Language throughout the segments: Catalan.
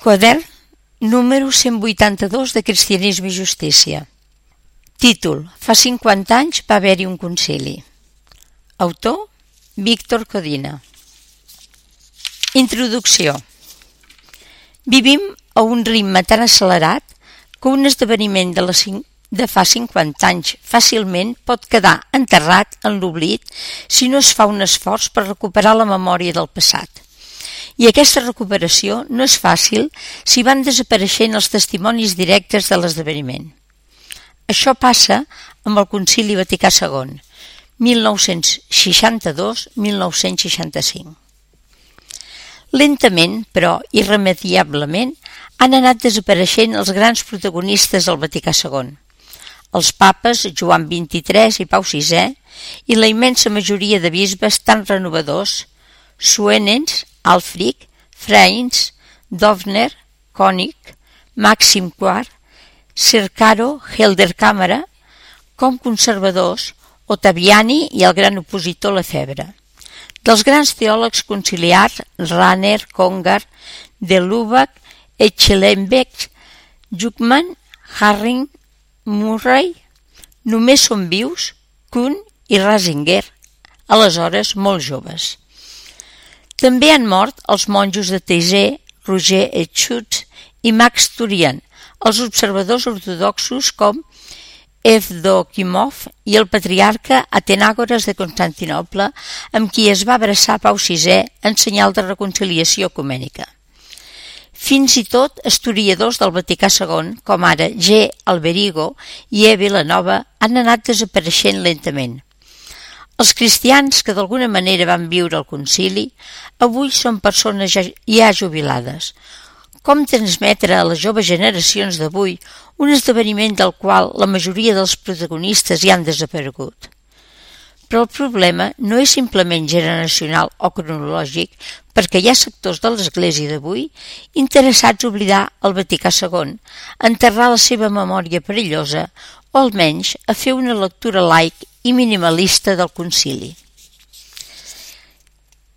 Quadern número 182 de Cristianisme i Justícia. Títol: Fa 50 anys va haver-hi un concili. Autor: Víctor Codina. Introducció. Vivim a un ritme tan accelerat que un esdeveniment de fa 50 anys fàcilment pot quedar enterrat en l'oblit si no es fa un esforç per recuperar la memòria del passat. I aquesta recuperació no és fàcil si van desapareixent els testimonis directes de l'esdeveniment. Això passa amb el Concili Vaticà II, 1962-1965. Lentament, però irremediablement, han anat desapareixent els grans protagonistes del Vaticà II, els papes Joan XXIII i Pau VI i la immensa majoria de bisbes tan renovadors, Suenens, Alfric, Freins, Dovner, König, Màxim IV, Cercaro, Helder-Cámara, com conservadors, Ottaviani i el gran opositor Lefebvre. Dels grans teòlegs conciliars, Rahner, Congar, de Lubac, Echelenbeck, Juckman, Harring, Murray, només són vius Kuhn i Ratzinger, aleshores molt joves. També han mort els monjos de Taizé, Roger Schutz i Max Turian, els observadors ortodoxos com Evdokimov i el patriarca Atenàgores de Constantinoble, amb qui es va abraçar Pau VI en senyal de reconciliació ecumènica. Fins i tot historiadors del Vaticà II, com ara G. Alberigo i E. Vilanova, han anat desapareixent lentament. Els cristians que d'alguna manera van viure al concili avui són persones ja jubilades. Com transmetre a les joves generacions d'avui un esdeveniment del qual la majoria dels protagonistes ja han desaparegut? Però el problema no és simplement generacional o cronològic, perquè hi ha sectors de l'Església d'avui interessats a oblidar el Vaticà II, enterrar la seva memòria perillosa o almenys a fer una lectura laic i minimalista del concili.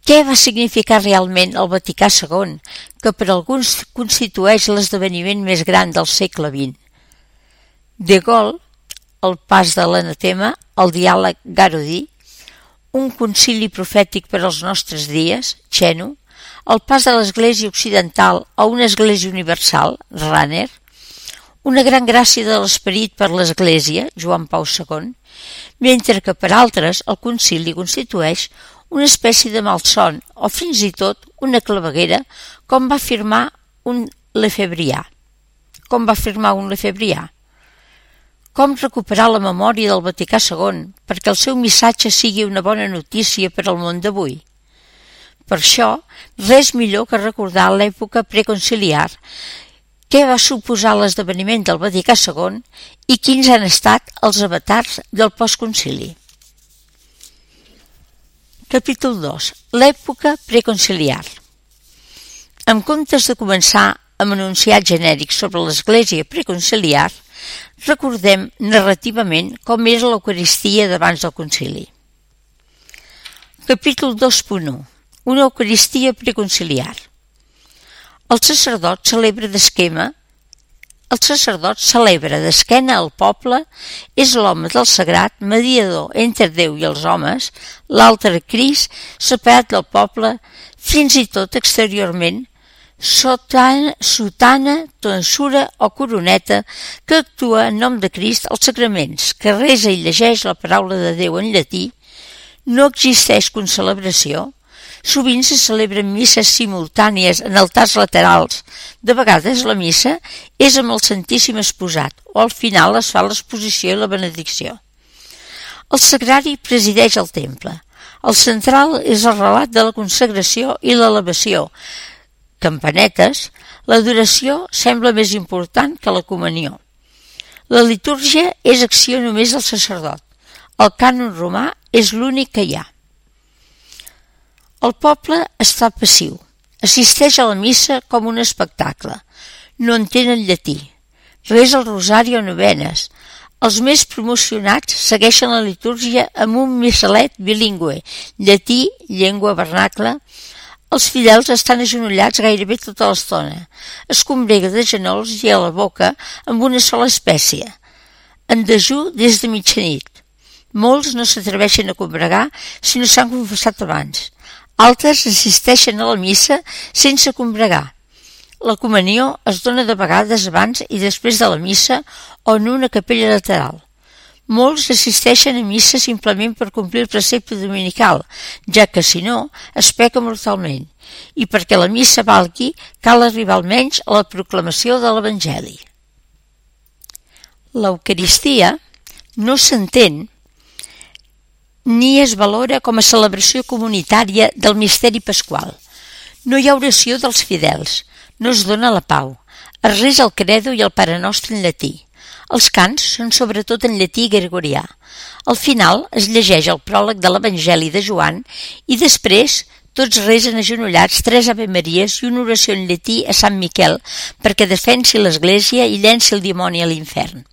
Què va significar realment el Vaticà II, que per alguns constitueix l'esdeveniment més gran del segle XX? De Gaulle, el pas de l'anatema, el diàleg Garodí, un concili profètic per als nostres dies, Chenu, el pas de l'Església Occidental a una Església Universal, Rahner, una gran gràcia de l'esperit per l'Església, Joan Pau II, mentre que per altres el concili constitueix una espècie de malson o fins i tot una claveguera, com va afirmar un Lefebvrià. Com recuperar la memòria del Vaticà II perquè el seu missatge sigui una bona notícia per al món d'avui? Per això, res millor que recordar l'època preconciliar, què va suposar l'esdeveniment del Vaticà II i quins han estat els avatars del postconcili. Capítol 2. L'època preconciliar. En comptes de començar amb enunciats genèrics sobre l'Església preconciliar, recordem narrativament com era l'Eucaristia d'abans del concili. Capítol 2.1. Una Eucaristia preconciliar. El sacerdot celebra d'esquena al poble, és l'home del sagrat, mediador entre Déu i els homes, l'altre Crist, separat del poble, fins i tot exteriorment, sotana, tonsura o coroneta, que actua en nom de Crist als sacraments, que resa i llegeix la paraula de Déu en llatí, no existeix concelebració. Sovint se celebren misses simultànies en altars laterals. De vegades la missa és amb el Santíssim exposat o al final es fa l'exposició i la benedicció. El sagrari presideix el temple. El central és el relat de la consagració i l'elevació. Campanetes, l'adoració sembla més important que la comunió. La litúrgia és acció només del sacerdot. El cànon romà és l'únic que hi ha. El poble està passiu, assisteix a la missa com un espectacle, no entén el llatí, resa el rosari o novenes. Els més promocionats segueixen la litúrgia amb un missalet bilingüe, llatí, llengua vernacla, Els fidels estan agenollats gairebé tota l'estona. Es combrega de genolls i a la boca amb una sola espècie. En dejú des de mitjanit. Molts no s'atreveixen a combregar si no s'han confessat abans. Altres assisteixen a la missa sense combregar. La comunió es dona de vegades abans i després de la missa o en una capella lateral. Molts assisteixen a missa simplement per complir el precepte dominical, ja que si no, es peca mortalment, i perquè la missa valgui cal arribar almenys a la proclamació de l'Evangeli. L'Eucaristia no s'entén ni es valora com a celebració comunitària del misteri pasqual. No hi ha oració dels fidels, no es dona la pau, es resa el credo i el Pare Nostre en llatí. Els cants són sobretot en llatí gregorià. Al final es llegeix el pròleg de l'Evangeli de Joan i després tots resen agenollats 3 Ave Maries i una oració en llatí a Sant Miquel perquè defensi l'Església i llenci el dimoni a l'infern.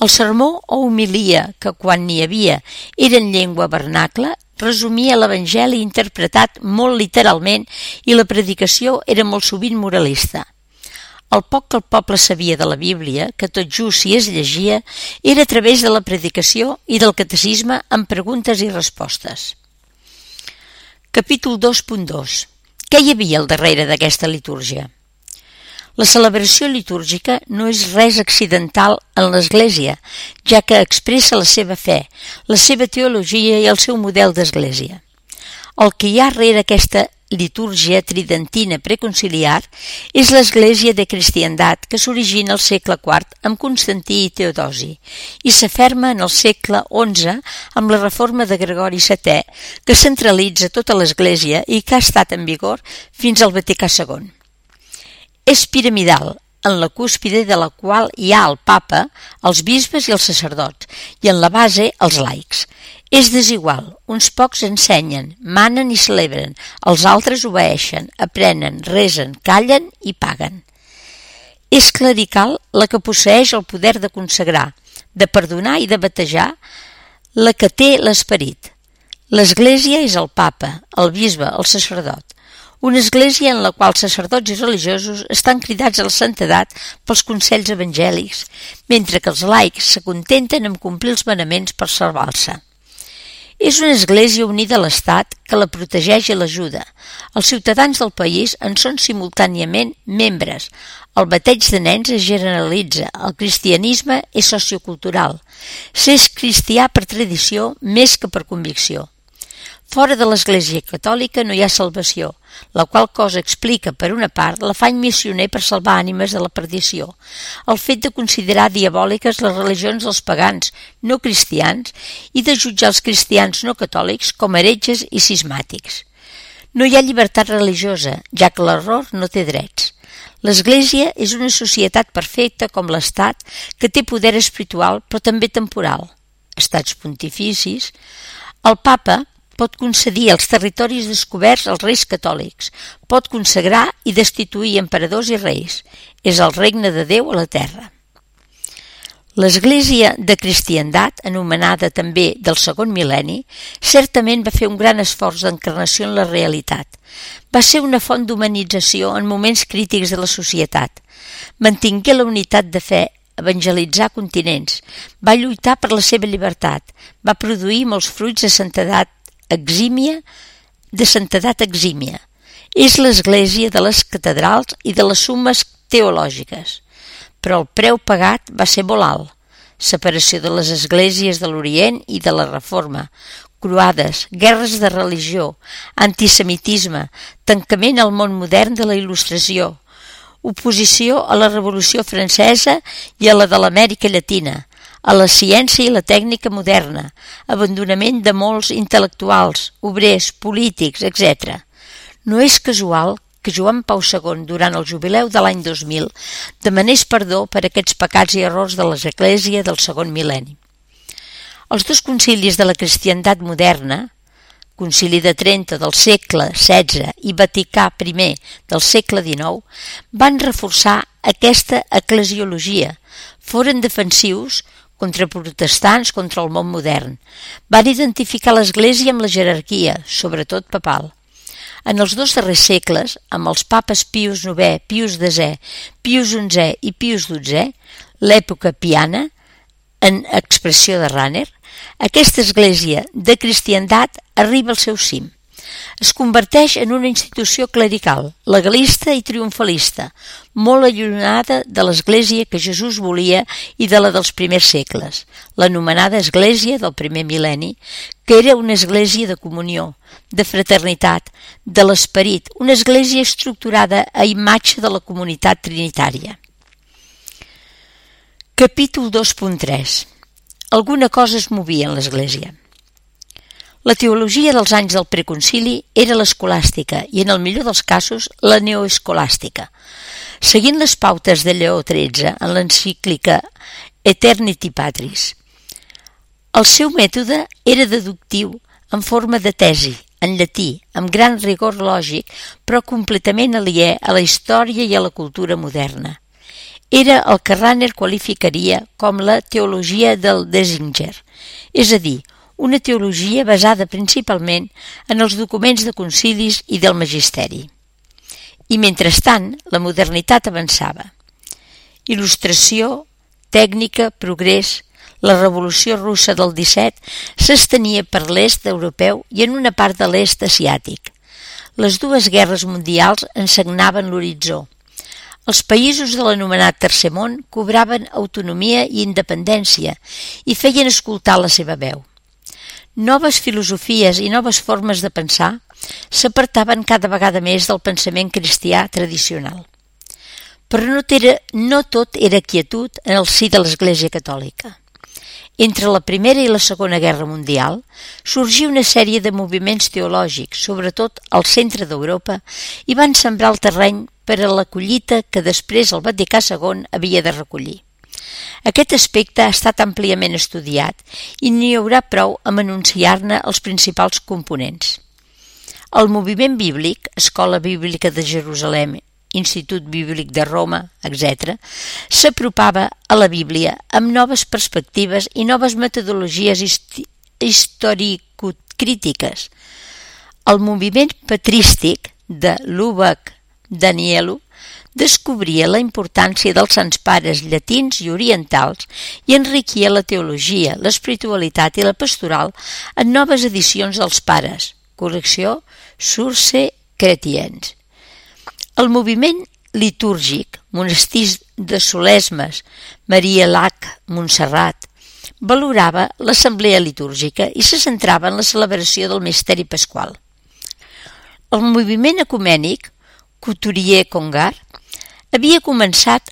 El sermó o homilia, que quan n'hi havia era en llengua vernacla, resumia l'Evangeli interpretat molt literalment i la predicació era molt sovint moralista. El poc que el poble sabia de la Bíblia, que tot just si es llegia, era a través de la predicació i del catecisme amb preguntes i respostes. Capítol 2.2. Què hi havia al darrere d'aquesta litúrgia? La celebració litúrgica no és res accidental en l'Església, ja que expressa la seva fe, la seva teologia i el seu model d'Església. El que hi ha rere aquesta litúrgia tridentina preconciliar és l'Església de Cristiandat que s'origina al segle IV amb Constantí i Teodosi i s'aferma en el segle XI amb la reforma de Gregori VII que centralitza tota l'Església i que ha estat en vigor fins al Vaticà II. És piramidal, en la cúspide de la qual hi ha el papa, els bisbes i els sacerdots, i en la base els laics. És desigual, uns pocs ensenyen, manen i celebren, els altres obeeixen, aprenen, resen, callen i paguen. És clerical la que posseeix el poder de consagrar, de perdonar i de batejar, la que té l'esperit. L'Església és el papa, el bisbe, el sacerdot. Una església en la qual sacerdots i religiosos estan cridats a la santedat pels consells evangèlics, mentre que els laics s'acontenten amb complir els manaments per salvar-se. És una església unida a l'Estat que la protegeix i l'ajuda. Els ciutadans del país en són simultàniament membres. El bateig de nens es generalitza. El cristianisme és sociocultural. S'és cristià per tradició més que per convicció. Fora de l'Església catòlica no hi ha salvació, la qual cosa explica, per una part, l'afany missioner per salvar ànimes de la perdició, el fet de considerar diabòliques les religions dels pagans no cristians i de jutjar els cristians no catòlics com heretges i cismàtics. No hi ha llibertat religiosa, ja que l'error no té drets. L'Església és una societat perfecta com l'Estat, que té poder espiritual però també temporal. Estats pontificis. El papa pot concedir els territoris descoberts als reis catòlics, pot consagrar i destituir emperadors i reis. És el regne de Déu a la terra. L'Església de Cristiandat, anomenada també del segon mil·lenni, certament va fer un gran esforç d'encarnació en la realitat. Va ser una font d'humanització en moments crítics de la societat. Mantingué la unitat de fe, evangelitzar continents, va lluitar per la seva llibertat, va produir molts fruits de santedat exímia. És l'església de les catedrals i de les sumes teològiques. Però el preu pagat va ser molt alt. Separació de les esglésies de l'Orient i de la Reforma, croades, guerres de religió, antisemitisme, tancament al món modern de la Il·lustració, oposició a la Revolució Francesa i a la de l'Amèrica Llatina, a la ciència i la tècnica moderna, abandonament de molts intel·lectuals, obrers, polítics, etc. No és casual que Joan Pau II, durant el jubileu de l'any 2000, demanés perdó per aquests pecats i errors de l'Església del segon mil·lenni. Els dos concilis de la cristiandat moderna, Concili de Trento del segle XVI i Vaticà I del segle XIX, van reforçar aquesta eclesiologia, foren defensius contra protestants, contra el món modern. Van identificar l'Església amb la jerarquia, sobretot papal. En els 2 darrers segles, amb els papes Pius IX, Pius X, Pius XI i Pius XII, l'època piana, en expressió de Rahner, aquesta església de cristiandat arriba al seu cim. Es converteix en una institució clerical, legalista i triomfalista, molt allunyada de l'església que Jesús volia i de la dels primers segles, l'anomenada església del primer mil·lenni, que era una església de comunió, de fraternitat, de l'esperit, una església estructurada a imatge de la comunitat trinitària. Capítol 2.3. Alguna cosa es movia en l'Església. La teologia dels anys del preconcili era l'escolàstica i, en el millor dels casos, la neoescolàstica. Seguint les pautes de Lleó XIII en l'encíclica Eternity Patris. El seu mètode era deductiu en forma de tesi, en llatí, amb gran rigor lògic, però completament aliè a la història i a la cultura moderna. Era el que Rahner qualificaria com la teologia del Desinger, és a dir, una teologia basada principalment en els documents de concilis i del magisteri. I mentrestant, la modernitat avançava. Il·lustració, tècnica, progrés, la revolució russa del 17 s'estenia per l'est europeu i en una part de l'est asiàtic. Les 2 guerres mundials ensagnaven l'horitzó. Els països de l'anomenat Tercer Món cobraven autonomia i independència i feien escoltar la seva veu. Noves filosofies i noves formes de pensar s'apartaven cada vegada més del pensament cristià tradicional. Però no tot era quietud en el si de l'Església Catòlica. Entre la Primera i la Segona Guerra Mundial sorgí una sèrie de moviments teològics, sobretot al centre d'Europa, i van sembrar el terreny per a la collita que després el Vaticà II havia de recollir. Aquest aspecte ha estat àmpliament estudiat i n'hi haurà prou amb anunciar-ne els principals components. El moviment bíblic, Escola Bíblica de Jerusalem, Institut Bíblic de Roma, etc., s'apropava a la Bíblia amb noves perspectives i noves metodologies historicocrítiques. El moviment patrístic de Lubac Danielu descobria la importància dels sants pares llatins i orientals i enriquia la teologia, l'espiritualitat i la pastoral en noves edicions dels pares, correcció Sources Chrétiennes. El moviment litúrgic, monestirs de Solesmes, Maria Lac, Montserrat, valorava l'assemblea litúrgica i se centrava en la celebració del misteri pasqual. El moviment ecumènic, Couturier-Congar, havia començat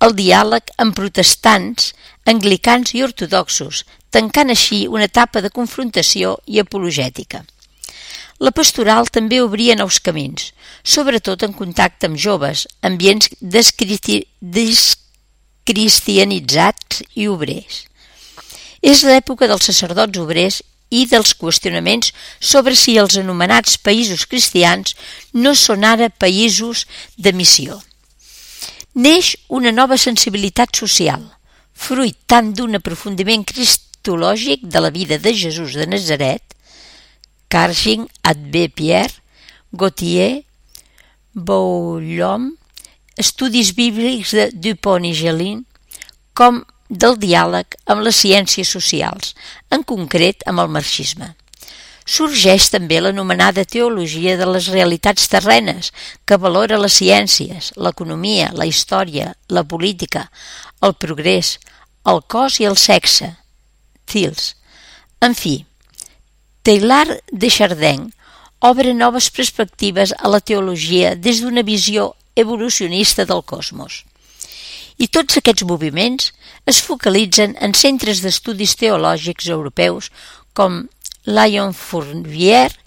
el diàleg amb protestants, anglicans i ortodoxos, tancant així una etapa de confrontació i apologètica. La pastoral també obria nous camins, sobretot en contacte amb joves, ambients descristianitzats i obrers. És l'època dels sacerdots obrers i dels qüestionaments sobre si els anomenats països cristians no són ara països de missió. Neix una nova sensibilitat social, fruit tant d'un aprofundiment cristològic de la vida de Jesús de Nazaret, Cargin, Abbé Pierre, Gautier, Bouillon, estudis bíblics de Dupont i Gelin, com del diàleg amb les ciències socials, en concret amb el marxisme. Sorgeix també l'anomenada teologia de les realitats terrenes, que valora les ciències, l'economia, la història, la política, el progrés, el cos i el sexe, Thils. En fi, Teilhard de Chardin obre noves perspectives a la teologia des d'una visió evolucionista del cosmos. I tots aquests moviments es focalitzen en centres d'estudis teològics europeus com Lyon Fourvière,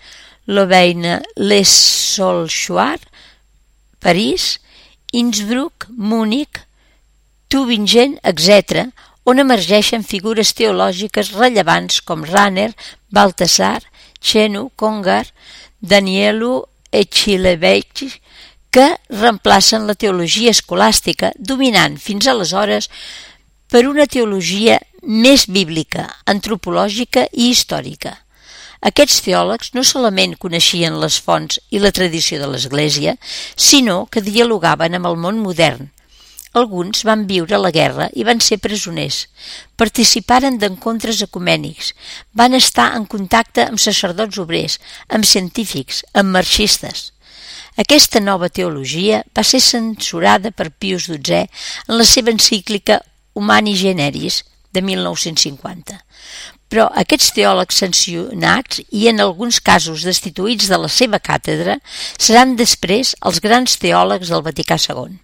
Louvain-les-Solchoir, París, Innsbruck, Múnich, Tübingen, etc., on emergeixen figures teològiques rellevants com Rahner, Baltasar, Chenu, Congar, Danielu Echilevich, que reemplacen la teologia escolàstica, dominant fins aleshores per una teologia més bíblica, antropològica i històrica. Aquests teòlegs no solament coneixien les fonts i la tradició de l'Església, sinó que dialogaven amb el món modern. Alguns van viure la guerra i van ser presoners, participaren d'encontres ecumènics, van estar en contacte amb sacerdots obrers, amb científics, amb marxistes. Aquesta nova teologia va ser censurada per Pius XII en la seva encíclica Humani Generis de 1950. Però aquests teòlegs sancionats i en alguns casos destituïts de la seva càtedra seran després els grans teòlegs del Vaticà II.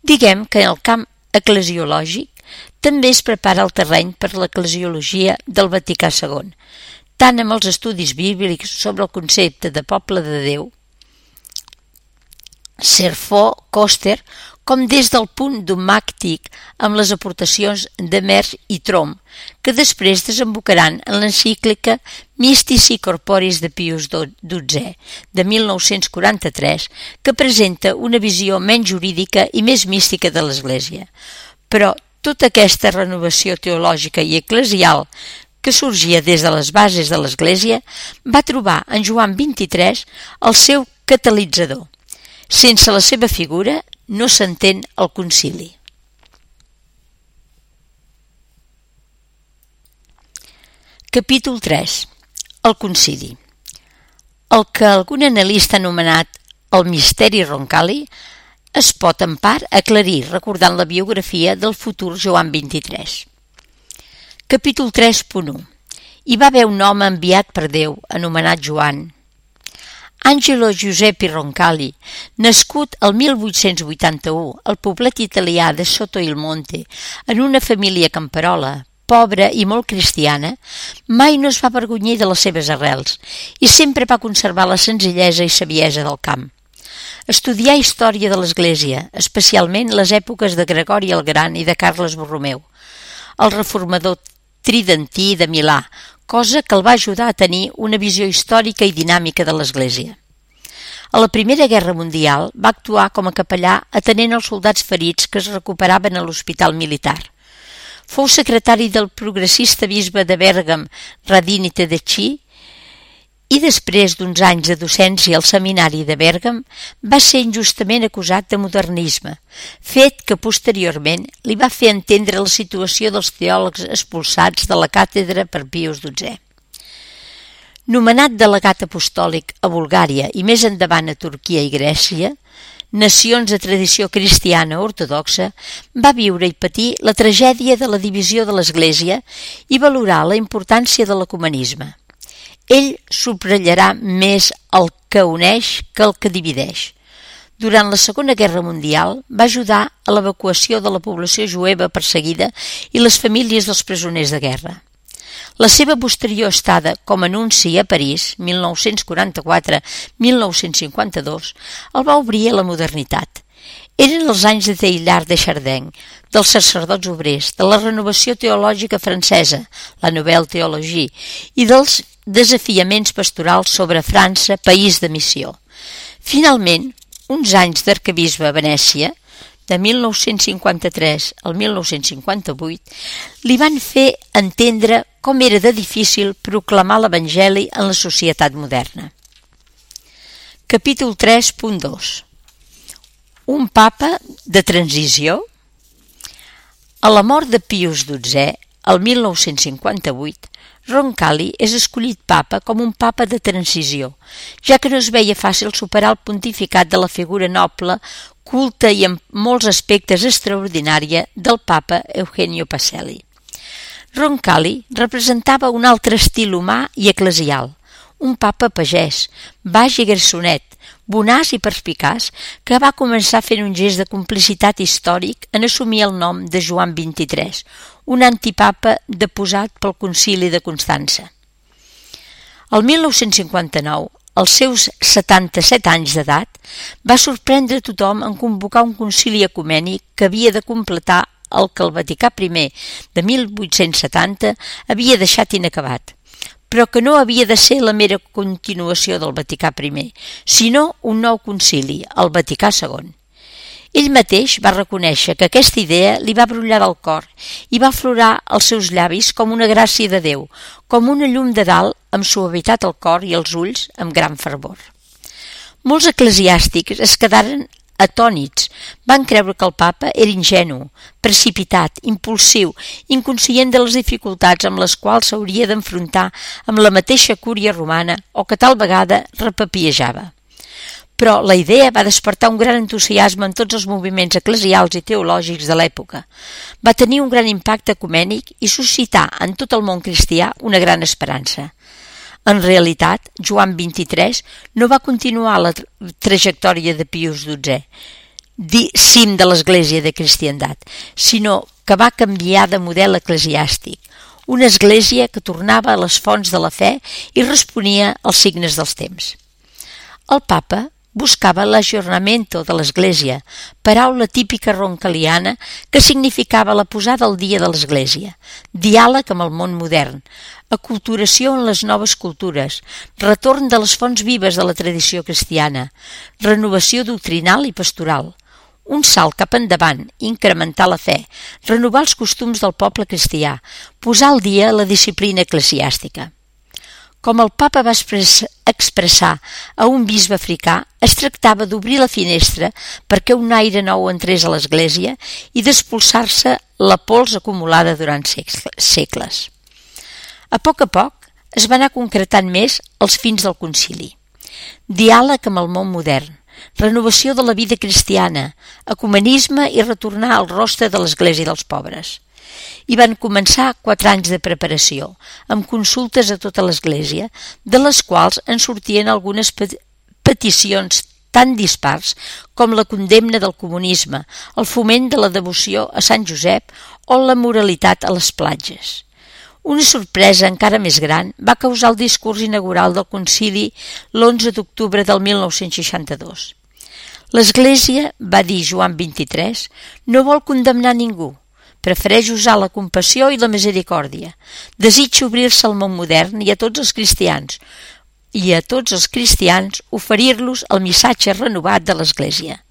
Diguem que en el camp eclesiològic també es prepara el terreny per l'eclesiologia del Vaticà II, tant amb els estudis bíblics sobre el concepte de poble de Déu, Serfo, Koster, com des del punt dogmàtic amb les aportacions de Mersch i Trom, que després desembocaran en l'encíclica Mystici Corporis de Pius XII, de 1943, que presenta una visió menys jurídica i més mística de l'Església. Però tota aquesta renovació teològica i eclesial que sorgia des de les bases de l'Església va trobar en Joan XXIII el seu catalitzador. Sense la seva figura no s'entén el concili. Capítol 3. El concili. El que algun analista ha anomenat el misteri Roncalli es pot en part aclarir recordant la biografia del futur Joan XXIII. Capítol 3.1. Hi va haver un home enviat per Déu, anomenat Joan. Angelo Giuseppe Roncalli, nascut el 1881 al poblet italià de Sotto il Monte, en una família camperola, pobra i molt cristiana, mai no es va avergonyir de les seves arrels i sempre va conservar la senzillesa i saviesa del camp. Estudià història de l'Església, especialment les èpoques de Gregori el Gran i de Carles Borromeu, el reformador tridentí de Milà, cosa que el va ajudar a tenir una visió històrica i dinàmica de l'Església. A la Primera Guerra Mundial va actuar com a capellà atenent els soldats ferits que es recuperaven a l'hospital militar. Fou secretari del progressista bisbe de Bèrgam, Radini Tedeschi, i després d'uns anys de docència al seminari de Bèrgam va ser injustament acusat de modernisme, fet que posteriorment li va fer entendre la situació dels teòlegs expulsats de la càtedra per Pius XII. Nomenat delegat apostòlic a Bulgària i més endavant a Turquia i Grècia, nacions de tradició cristiana ortodoxa, va viure i patir la tragèdia de la divisió de l'Església i valorar la importància de l'ecumenisme. Ell subratllarà més el que uneix que el que divideix. Durant la Segona Guerra Mundial va ajudar a l'evacuació de la població jueva perseguida i les famílies dels presoners de guerra. La seva posterior estada com a nunci a París, 1944-1952, el va obrir a la modernitat. Eren els anys de Teilhard de Chardin, dels sacerdots obrers, de la renovació teològica francesa, la Nouvelle Théologie, i dels desafiaments pastorals sobre França, país de missió. Finalment, uns anys d'arquebisbe a Venècia, de 1953 al 1958, li van fer entendre com era de difícil proclamar l'Evangeli en la societat moderna. Capítol 3.2. Un papa de transició? A la mort de Pius XII, el 1958, Roncalli és escollit papa com un papa de transició, ja que no es veia fàcil superar el pontificat de la figura noble, culta i en molts aspectes extraordinària del papa Eugenio Pacelli. Roncalli representava un altre estil humà i eclesial, un papa pagès, baix i garçonet, bonaç i perspicaç, que va començar fent un gest de complicitat històric en assumir el nom de Joan XXIII, un antipapa deposat pel concili de Constança. El 1959, als seus 77 anys d'edat, va sorprendre tothom en convocar un concili ecumènic que havia de completar el que el Vaticà I de 1870 havia deixat inacabat, però que no havia de ser la mera continuació del Vaticà I, sinó un nou concili, el Vaticà II. Ell mateix va reconèixer que aquesta idea li va brollar del cor i va aflorar als seus llavis com una gràcia de Déu, com una llum de dalt amb suavitat al cor i als ulls amb gran fervor. Molts eclesiàstics es quedaren atònits, van creure que el papa era ingenu, precipitat, impulsiu, inconscient de les dificultats amb les quals s'hauria d'enfrontar amb la mateixa cúria romana o que tal vegada repapiejava. Però la idea va despertar un gran entusiasme en tots els moviments eclesials i teològics de l'època. Va tenir un gran impacte ecumènic i suscitar en tot el món cristià una gran esperança. En realitat, Joan XXIII no va continuar la trajectòria de Pius XII, cim de l'Església de Cristiandat, sinó que va canviar de model eclesiàstic, una església que tornava a les fonts de la fe i responia als signes dels temps. El papa buscava l'ajornamento de l'Església, paraula típica roncaliana que significava la posada al dia de l'Església, diàleg amb el món modern, aculturació en les noves cultures, retorn de les fonts vives de la tradició cristiana, renovació doctrinal i pastoral, un salt cap endavant, incrementar la fe, renovar els costums del poble cristià, posar al dia la disciplina eclesiàstica. Com el papa va expressar a un bisbe africà, es tractava d'obrir la finestra perquè un aire nou entrés a l'Església i d'expulsar-se la pols acumulada durant segles. A poc es va anar concretant més els fins del concili. Diàleg amb el món modern, renovació de la vida cristiana, ecumenisme i retornar al rostre de l'Església dels pobres. I van començar 4 anys de preparació, amb consultes a tota l'Església, de les quals en sortien algunes peticions tan dispars com la condemna del comunisme, el foment de la devoció a Sant Josep o la moralitat a les platges. Una sorpresa encara més gran va causar el discurs inaugural del concili l'11 d'octubre del 1962. L'Església, va dir Joan XXIII, no vol condemnar ningú, prefereix usar la compassió i la misericòrdia. Desitja obrir-se al món modern i a tots els cristians oferir-los el missatge renovat de l'Església.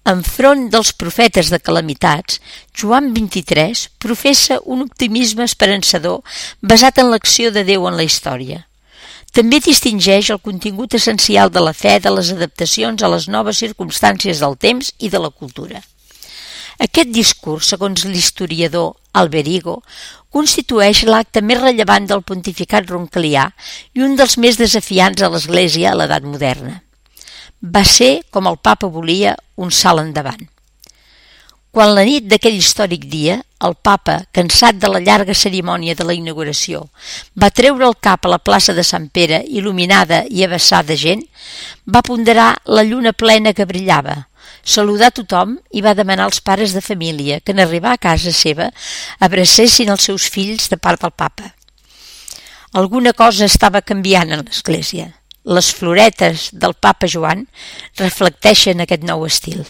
Enfront dels profetes de calamitats, Joan XXIII professa un optimisme esperançador basat en l'acció de Déu en la història. També distingeix el contingut essencial de la fe de les adaptacions a les noves circumstàncies del temps i de la cultura. Aquest discurs, segons l'historiador Alberigo, constitueix l'acte més rellevant del pontificat roncalià i un dels més desafiants a l'Església a l'edat moderna. Va ser, com el papa volia, un salt endavant. Quan la nit d'aquell històric dia, el papa, cansat de la llarga cerimònia de la inauguració, va treure el cap a la plaça de Sant Pere, il·luminada i abassada de gent, va ponderar la lluna plena que brillava, saludar tothom i va demanar als pares de família que en arribar a casa seva abracessin els seus fills de part del papa. Alguna cosa estava canviant en l'Església. Les floretes del papa Joan reflecteixen aquest nou estil.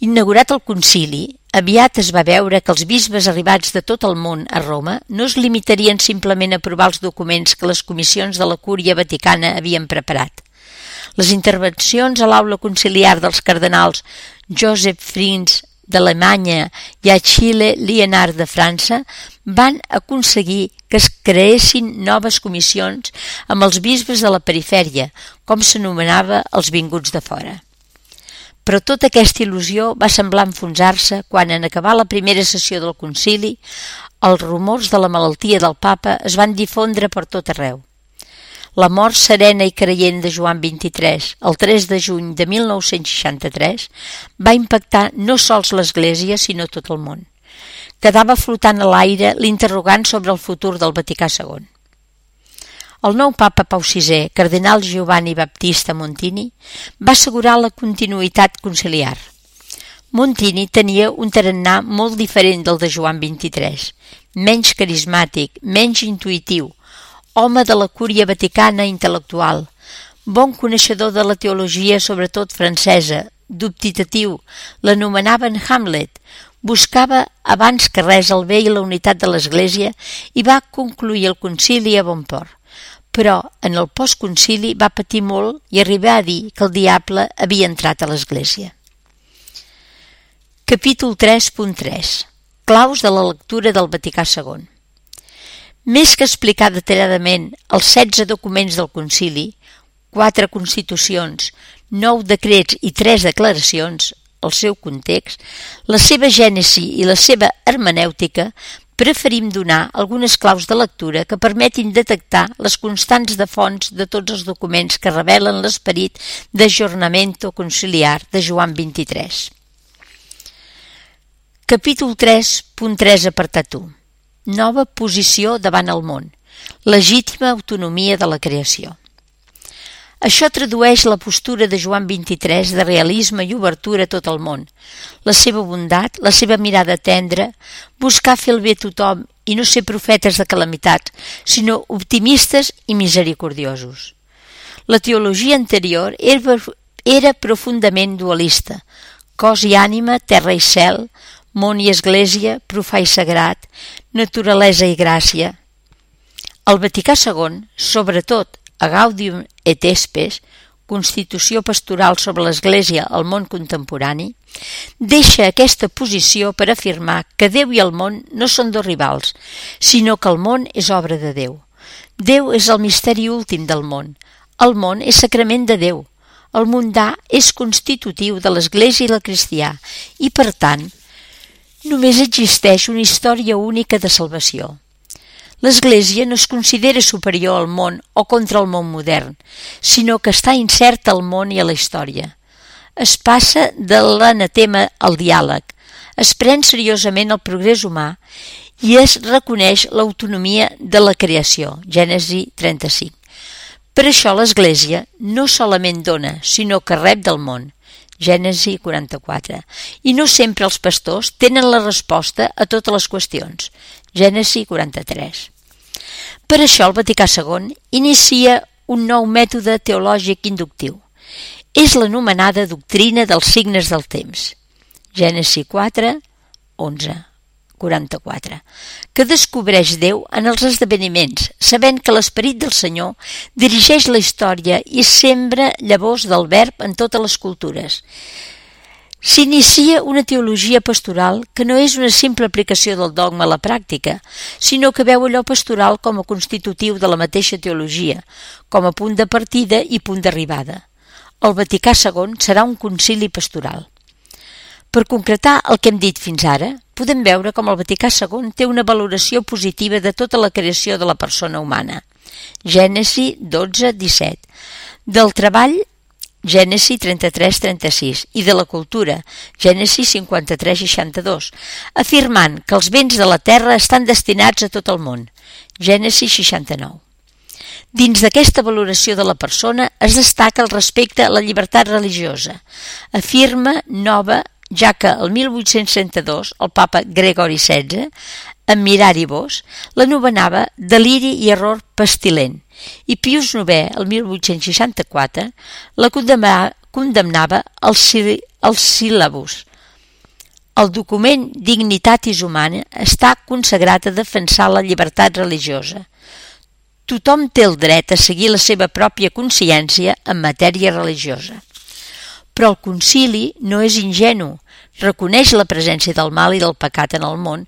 Inaugurat el concili, aviat es va veure que els bisbes arribats de tot el món a Roma no es limitarien simplement a aprovar els documents que les comissions de la Cúria Vaticana havien preparat. Les intervencions a l'aula conciliar dels cardenals Joseph Frins d'Alemanya i Achille Liénard de França van aconseguir que es creessin noves comissions amb els bisbes de la perifèria, com s'anomenava els vinguts de fora. Però tota aquesta il·lusió va semblar enfonsar-se quan, en acabar la primera sessió del concili, els rumors de la malaltia del papa es van difondre per tot arreu. La mort serena i creient de Joan XXIII, el 3 de juny de 1963, va impactar no sols l'Església, sinó tot el món. Quedava flotant a l'aire l'interrogant sobre el futur del Vaticà II. El nou papa Pau VI, cardenal Giovanni Battista Montini, va assegurar la continuïtat conciliar. Montini tenia un tarannà molt diferent del de Joan XXIII, menys carismàtic, menys intuïtiu, home de la cúria vaticana intel·lectual, bon coneixedor de la teologia, sobretot francesa, dubitatiu, l'anomenaven Hamlet, buscava abans que res el bé i la unitat de l'Església i va concluir el concili a bon port. Però en el postconcili va patir molt i arribar a dir que el diable havia entrat a l'Església. Capítol 3.3. Claus de la lectura del Vaticà II. Més que explicar detalladament els 16 documents del concili, 4 constitucions, 9 decrets i 3 declaracions, el seu context, la seva gènesi i la seva hermenèutica, preferim donar algunes claus de lectura que permetin detectar les constants de fonts de tots els documents que revelen l'esperit d'ajornamento conciliar de Joan XXIII. Capítol 3.3 apartat 1. Nova posició davant el món. Legítima autonomia de la creació. Això tradueix la postura de Joan XXIII de realisme i obertura a tot el món, la seva bondat, la seva mirada tendra, buscar fer el bé a tothom i no ser profetes de calamitats, sinó optimistes i misericordiosos. La teologia anterior era profundament dualista, cos i ànima, terra i cel, món i església, profà i sagrat, naturalesa i gràcia. El Vaticà II, sobretot a Gaudium et Spes, Constitució pastoral sobre l'Església al món contemporani, deixa aquesta posició per afirmar que Déu i el món no són dos rivals, sinó que el món és obra de Déu. Déu és el misteri últim del món. El món és sacrament de Déu. El mundà és constitutiu de l'Església i el cristià i, per tant, només existeix una història única de salvació. L'Església no es considera superior al món o contra el món modern, sinó que està incerta al món i a la història. Es passa de l'anatema al diàleg, es pren seriosament el progrés humà i es reconeix l'autonomia de la creació, Gènesi 35. Per això l'Església no solament dona, sinó que rep del món, Gènesi 44, i no sempre els pastors tenen la resposta a totes les qüestions, Gènesi 43. Per això el Vaticà II inicia un nou mètode teològic inductiu. És l'anomenada doctrina dels signes del temps, Gènesi 4, 11, 44, que descobreix Déu en els esdeveniments, sabent que l'esperit del Senyor dirigeix la història i sembra llavors del verb en totes les cultures. S'inicia una teologia pastoral que no és una simple aplicació del dogma a la pràctica, sinó que veu allò pastoral com a constitutiu de la mateixa teologia, com a punt de partida i punt d'arribada. El Vaticà II serà un concili pastoral. Per concretar el que hem dit fins ara, podem veure com el Vaticà II té una valoració positiva de tota la creació de la persona humana. Gènesi 12, 17. Del treball, Gènesi 33-36, i de la cultura, Gènesi 53-62, afirmant que els béns de la terra estan destinats a tot el món, Gènesi 69. Dins d'aquesta valoració de la persona es destaca el respecte a la llibertat religiosa. Afirma nova, ja que el 1862 el papa Gregori XVI, en Miraribus, l'anomenava deliri i error pestilent, i Pius IX, el 1864, la condemnava al síl·labus. El document Dignitatis Humana està consagrat a defensar la llibertat religiosa. Tothom té el dret a seguir la seva pròpia consciència en matèria religiosa. Però el concili no és ingenu, reconeix la presència del mal i del pecat en el món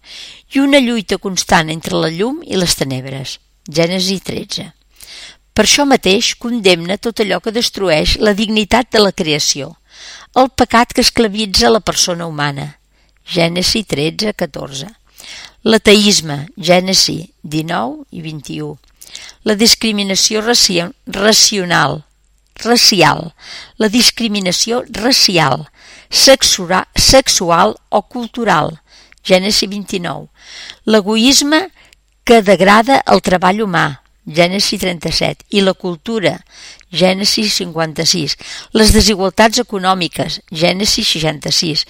i una lluita constant entre la llum i les tenebres, Gènesi 13. Per això mateix condemna tot allò que destrueix la dignitat de la creació, el pecat que esclavitza la persona humana, Gènesi 13, 14. L'ateisme, Gènesi 19 i 21. La discriminació racial, la discriminació racial, sexual o cultural, Gènesi 29. L'egoisme que degrada el treball humà, Gènesi 37, i la cultura, Gènesi 56, les desigualtats econòmiques, Gènesi 66,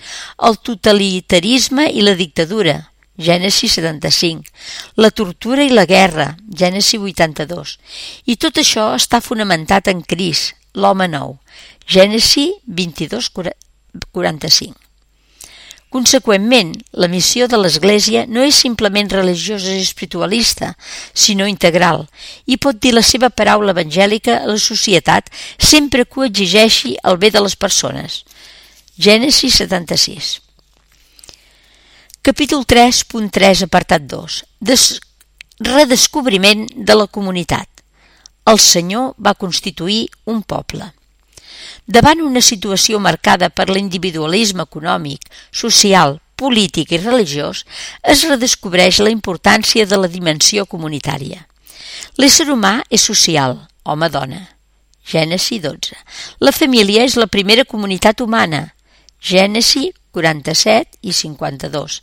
el totalitarisme i la dictadura, Gènesi 75, la tortura i la guerra, Gènesi 82, i tot això està fonamentat en Crist, l'home nou, Gènesi 22, 45. Conseqüentment, la missió de l'Església no és simplement religiosa i espiritualista, sinó integral, i pot dir la seva paraula evangèlica a la societat sempre que ho exigeixi el bé de les persones. Gènesi 76. Capítol 3.3, apartat 2. Redescobriment de la comunitat. El Senyor va constituir un poble. Davant una situació marcada per l'individualisme econòmic, social, polític i religiós, es redescobreix la importància de la dimensió comunitària. L'ésser humà és social, home-dona. Gènesi 12. La família és la primera comunitat humana. Gènesi 47 i 52.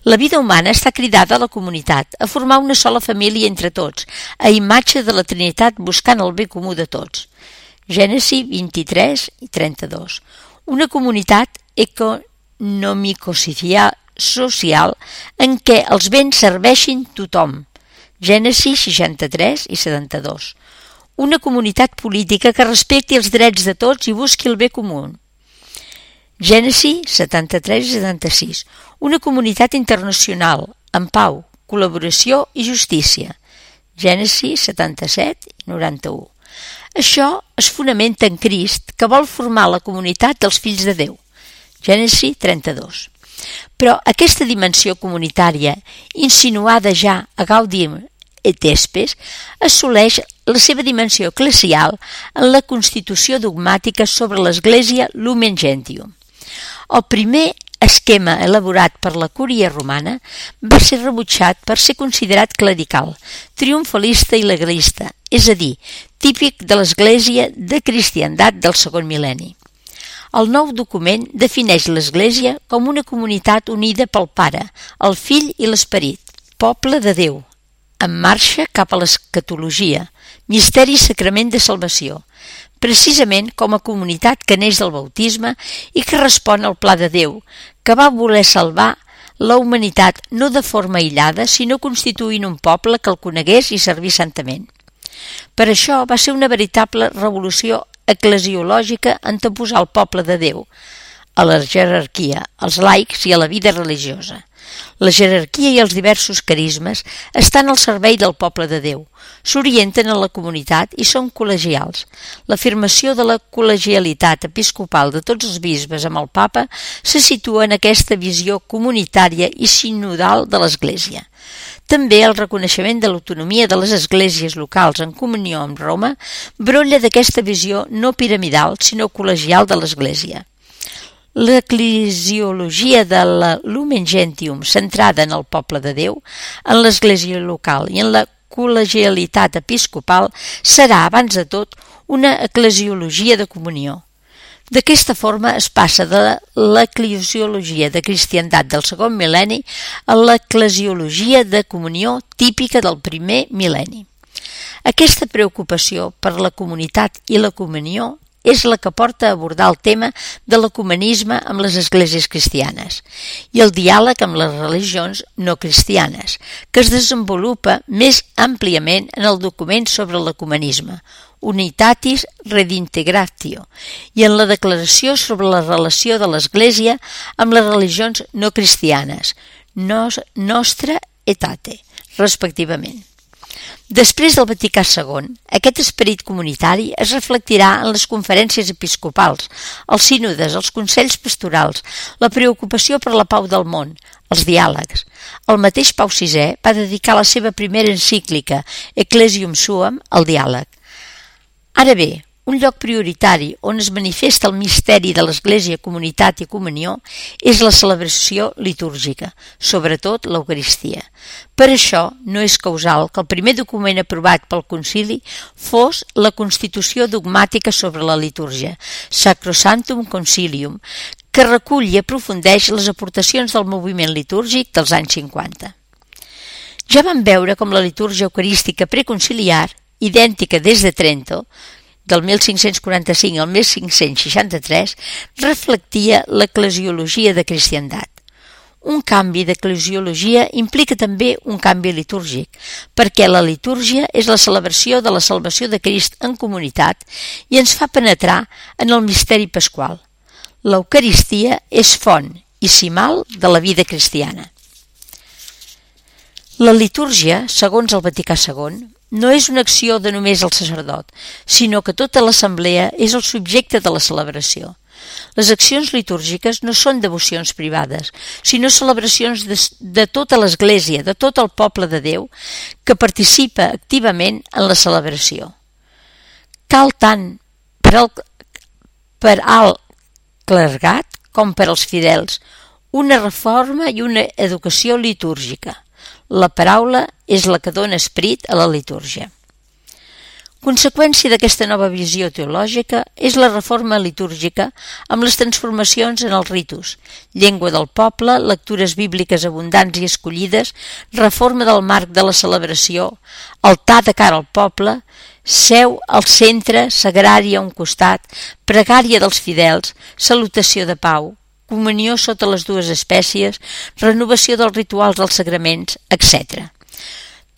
La vida humana està cridada a la comunitat, a formar una sola família entre tots, a imatge de la Trinitat buscant el bé comú de tots. Gènesi 23 i 32. Una comunitat econòmico-social en què els béns serveixin tothom. Gènesi 63 i 72. Una comunitat política que respecti els drets de tots i busqui el bé comú. Gènesi 73 i 76. Una comunitat internacional, amb pau, col·laboració i justícia. Gènesi 77 i 91. Això es fonamenta en Crist, que vol formar la comunitat dels fills de Déu. Gènesi 32. Però aquesta dimensió comunitària, insinuada ja a Gaudium et Spes, assoleix la seva dimensió eclesial en la constitució dogmàtica sobre l'Església Lumen Gentium. El primer esquema elaborat per la Cúria romana va ser rebutjat per ser considerat clerical, triomfalista i legalista, és a dir, típic de l'Església de cristiandat del segon mil·lenni. El nou document defineix l'Església com una comunitat unida pel Pare, el Fill i l'Esperit, poble de Déu, en marxa cap a l'escatologia, misteri i sacrament de salvació, precisament com a comunitat que neix del bautisme i que respon al pla de Déu, que va voler salvar la humanitat no de forma aïllada, sinó constituint un poble que el conegués i servís santament. Per això va ser una veritable revolució eclesiològica anteposar el poble de Déu a la jerarquia, als laics i a la vida religiosa. La jerarquia i els diversos carismes estan al servei del poble de Déu, s'orienten a la comunitat i són col·legials. L'afirmació de la col·legialitat episcopal de tots els bisbes amb el papa se situa en aquesta visió comunitària i sinodal de l'Església. També el reconeixement de l'autonomia de les esglésies locals en comunió amb Roma brolla d'aquesta visió no piramidal, sinó col·legial de l'Església. L'eclesiologia de la Lumen Gentium, centrada en el poble de Déu, en l'església local i en la col·legialitat episcopal, serà, abans de tot, una eclesiologia de comunió. D'aquesta forma es passa de l'eclesiologia de cristiandat del segon mil·lenni a l'eclesiologia de comunió típica del primer mil·lenni. Aquesta preocupació per la comunitat i la comunió és la que porta a abordar el tema de l'ecumenisme amb les esglésies cristianes i el diàleg amb les religions no cristianes, que es desenvolupa més àmpliament en el document sobre l'ecumenisme, Unitatis Redintegratio, i en la declaració sobre la relació de l'Església amb les religions no cristianes, Nostra Aetate, respectivament. Després del Vaticà II, aquest esperit comunitari es reflectirà en les conferències episcopals, els sínodes, els consells pastorals, la preocupació per la pau del món, els diàlegs. El mateix Pau VI va dedicar la seva primera encíclica, Ecclesiam Suam, al diàleg. Ara bé, un lloc prioritari on es manifesta el misteri de l'Església, comunitat i comunió és la celebració litúrgica, sobretot l'Eucaristia. Per això no és causal que el primer document aprovat pel concili fos la Constitució dogmàtica sobre la litúrgia, Sacrosanctum Concilium, que recull i aprofundeix les aportacions del moviment litúrgic dels anys 50. Ja vam veure com la litúrgia eucarística preconciliar, idèntica des de Trento, del 1545 al 1563, reflectia l'eclesiologia de cristiandat. Un canvi d'eclesiologia implica també un canvi litúrgic, perquè la litúrgia és la celebració de la salvació de Crist en comunitat i ens fa penetrar en el misteri pasqual. L'Eucaristia és font i cimal de la vida cristiana. La litúrgia, segons el Vaticà II, no és una acció de només el sacerdot, sinó que tota l'assemblea és el subjecte de la celebració. Les accions litúrgiques no són devocions privades, sinó celebracions de tota l'Església, de tot el poble de Déu, que participa activament en la celebració. Cal tant per al clergat com per als fidels una reforma i una educació litúrgica. La paraula és la que dona esperit a la litúrgia. Conseqüència d'aquesta nova visió teològica és la reforma litúrgica amb les transformacions en els ritus, llengua del poble, lectures bíbliques abundants i escollides, reforma del marc de la celebració, altar de cara al poble, seu al centre, sagrari a un costat, pregària dels fidels, salutació de pau, comunió sota les dues espècies, renovació dels rituals dels sagraments, etc.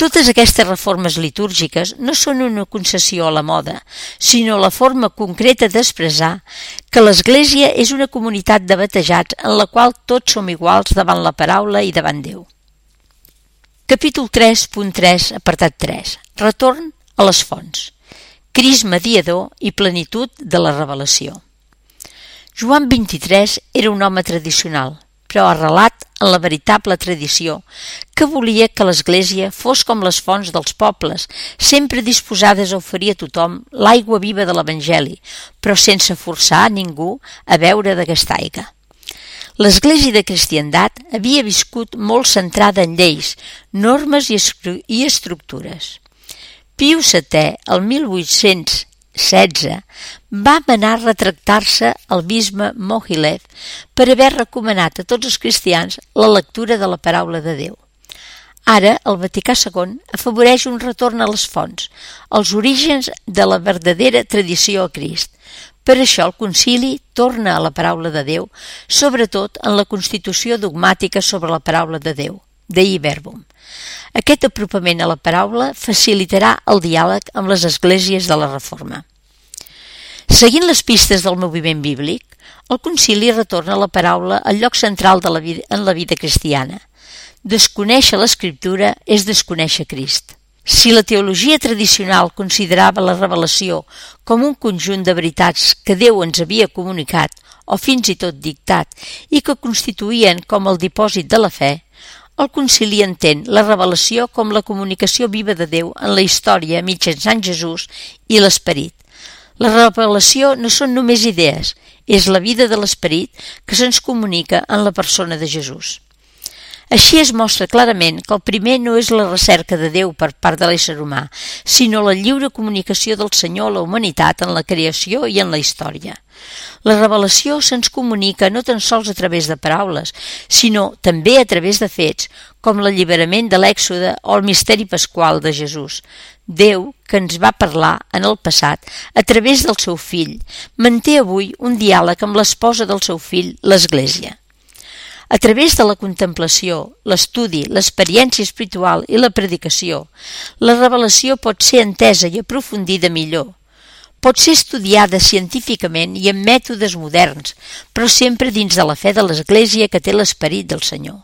Totes aquestes reformes litúrgiques no són una concessió a la moda, sinó la forma concreta d'expressar que l'Església és una comunitat de batejats en la qual tots som iguals davant la paraula i davant Déu. Capítol 3.3, apartat 3. Retorn a les fonts. Crist mediador i plenitud de la revelació. Joan 23 era un home tradicional, però arrelat en la veritable tradició, que volia que l'Església fos com les fonts dels pobles, sempre disposades a oferir a tothom l'aigua viva de l'Evangeli, però sense forçar a ningú a beure d'aquesta aigua. L'Església de Cristiandat havia viscut molt centrada en lleis, normes i estructures. Piu VII, el 1816, va manar retractar-se al bisbe Mohilev per haver recomanat a tots els cristians la lectura de la paraula de Déu. Ara, el Vaticà II afavoreix un retorn a les fonts, als orígens de la verdadera tradició a Crist. Per això el concili torna a la paraula de Déu, sobretot en la constitució dogmàtica sobre la paraula de Déu, Dei Verbum. Aquest apropament a la paraula facilitarà el diàleg amb les esglésies de la Reforma. Seguint les pistes del moviment bíblic, el concili retorna la paraula al lloc central en la vida cristiana. Desconèixer l'Escriptura és desconèixer Crist. Si la teologia tradicional considerava la revelació com un conjunt de veritats que Déu ens havia comunicat o fins i tot dictat i que constituïen com el dipòsit de la fe, el concili entén la revelació com la comunicació viva de Déu en la història mitjançant Jesús i l'Esperit. La revelació no són només idees, és la vida de l'Esperit que se'ns comunica en la persona de Jesús. Així es mostra clarament que el primer no és la recerca de Déu per part de l'ésser humà, sinó la lliure comunicació del Senyor a la humanitat en la creació i en la història. La revelació se'ns comunica no tan sols a través de paraules, sinó també a través de fets, com l'alliberament de l'Èxode o el misteri pasqual de Jesús. Déu, que ens va parlar en el passat a través del seu fill, manté avui un diàleg amb l'esposa del seu fill, l'Església. A través de la contemplació, l'estudi, l'experiència espiritual i la predicació, la revelació pot ser entesa i aprofundida millor. Pot ser estudiada científicament i amb mètodes moderns, però sempre dins de la fe de l'Església que té l'Esperit del Senyor.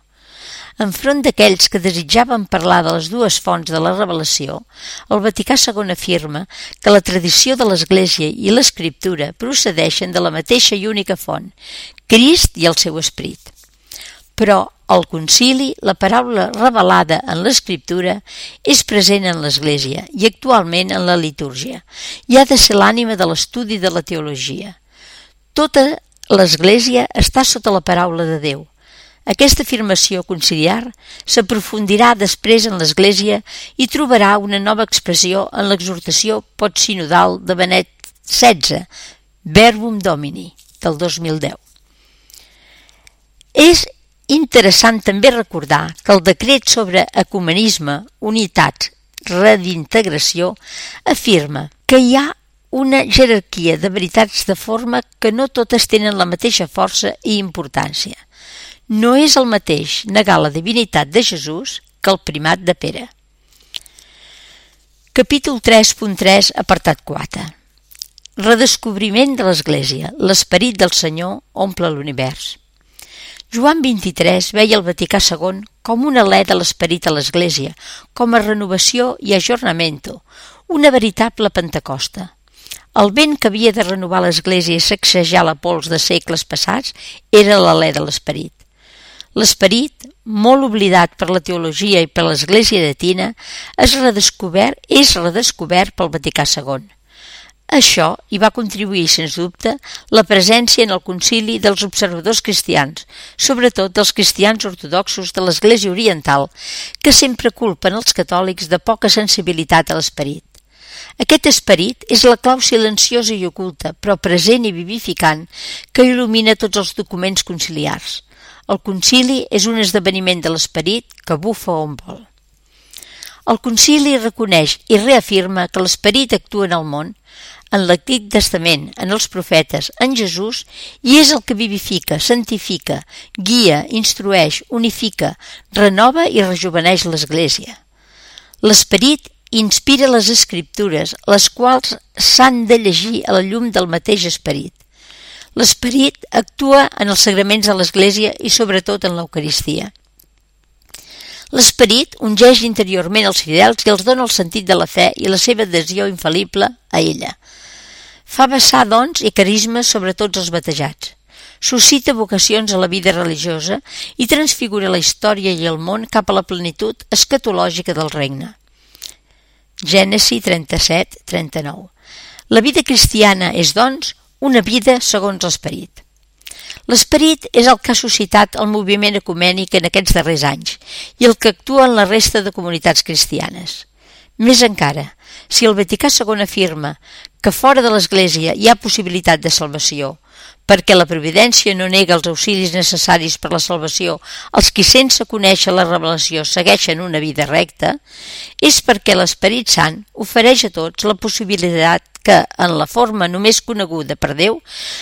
Enfront d'aquells que desitjaven parlar de les dues fonts de la revelació, el Vaticà II afirma que la tradició de l'Església i l'Escriptura procedeixen de la mateixa i única font, Crist i el seu Esperit. Però al concili la paraula revelada en l'Escriptura és present en l'Església i actualment en la litúrgia i ha de ser l'ànima de l'estudi de la teologia. Tota l'Església està sota la paraula de Déu. Aquesta afirmació conciliar s'aprofundirà després en l'Església i trobarà una nova expressió en l'exhortació postsinodal de Benet XVI, Verbum Domini, del 2010. És interessant també recordar que el decret sobre ecumenisme, unitats, redintegració, afirma que hi ha una jerarquia de veritats de forma que no totes tenen la mateixa força i importància. No és el mateix negar la divinitat de Jesús que el primat de Pere. Capítol 3.3, apartat 4. Redescobriment de l'Església. L'esperit del Senyor omple l'univers. Joan 23 veia el Vaticà II com un alè de l'esperit a l'Església, com a renovació i ajornamento, una veritable Pentecosta. El vent que havia de renovar l'Església i sacsejar la pols de segles passats era l'alè de l'Esperit. L'Esperit, molt oblidat per la teologia i per l'Església llatina, és redescobert pel Vaticà II. Això hi va contribuir, sens dubte, la presència en el concili dels observadors cristians, sobretot dels cristians ortodoxos de l'Església Oriental, que sempre culpen els catòlics de poca sensibilitat a l'esperit. Aquest esperit és la clau silenciosa i oculta, però present i vivificant, que il·lumina tots els documents conciliars. El concili és un esdeveniment de l'esperit que bufa on vol. El concili reconeix i reafirma que l'esperit actua en el món, en l'Antic Testament, en els profetes, en Jesús, i és el que vivifica, santifica, guia, instrueix, unifica, renova i rejuveneix l'Església. L'esperit inspira les Escriptures, les quals s'han de llegir a la llum del mateix esperit. L'esperit actua en els sagraments de l'Església i sobretot en l'Eucaristia. L'esperit ungeix interiorment els fidels i els dona el sentit de la fe i la seva adhesió infal·lible a ella. Fa vessar dons i carismes sobre tots els batejats. Suscita vocacions a la vida religiosa i transfigura la història i el món cap a la plenitud escatològica del regne. Gènesi 37-39. La vida cristiana és, doncs, una vida segons l'esperit. L'esperit és el que ha suscitat el moviment ecumènic en aquests darrers anys i el que actua en la resta de comunitats cristianes. Més encara, si el Vaticà II afirma que fora de l'Església hi ha possibilitat de salvació, perquè la providència no nega els auxilis necessaris per la salvació als qui sense conèixer la revelació segueixen una vida recta, és perquè l'Esperit Sant ofereix a tots la possibilitat que, en la forma només coneguda per Déu,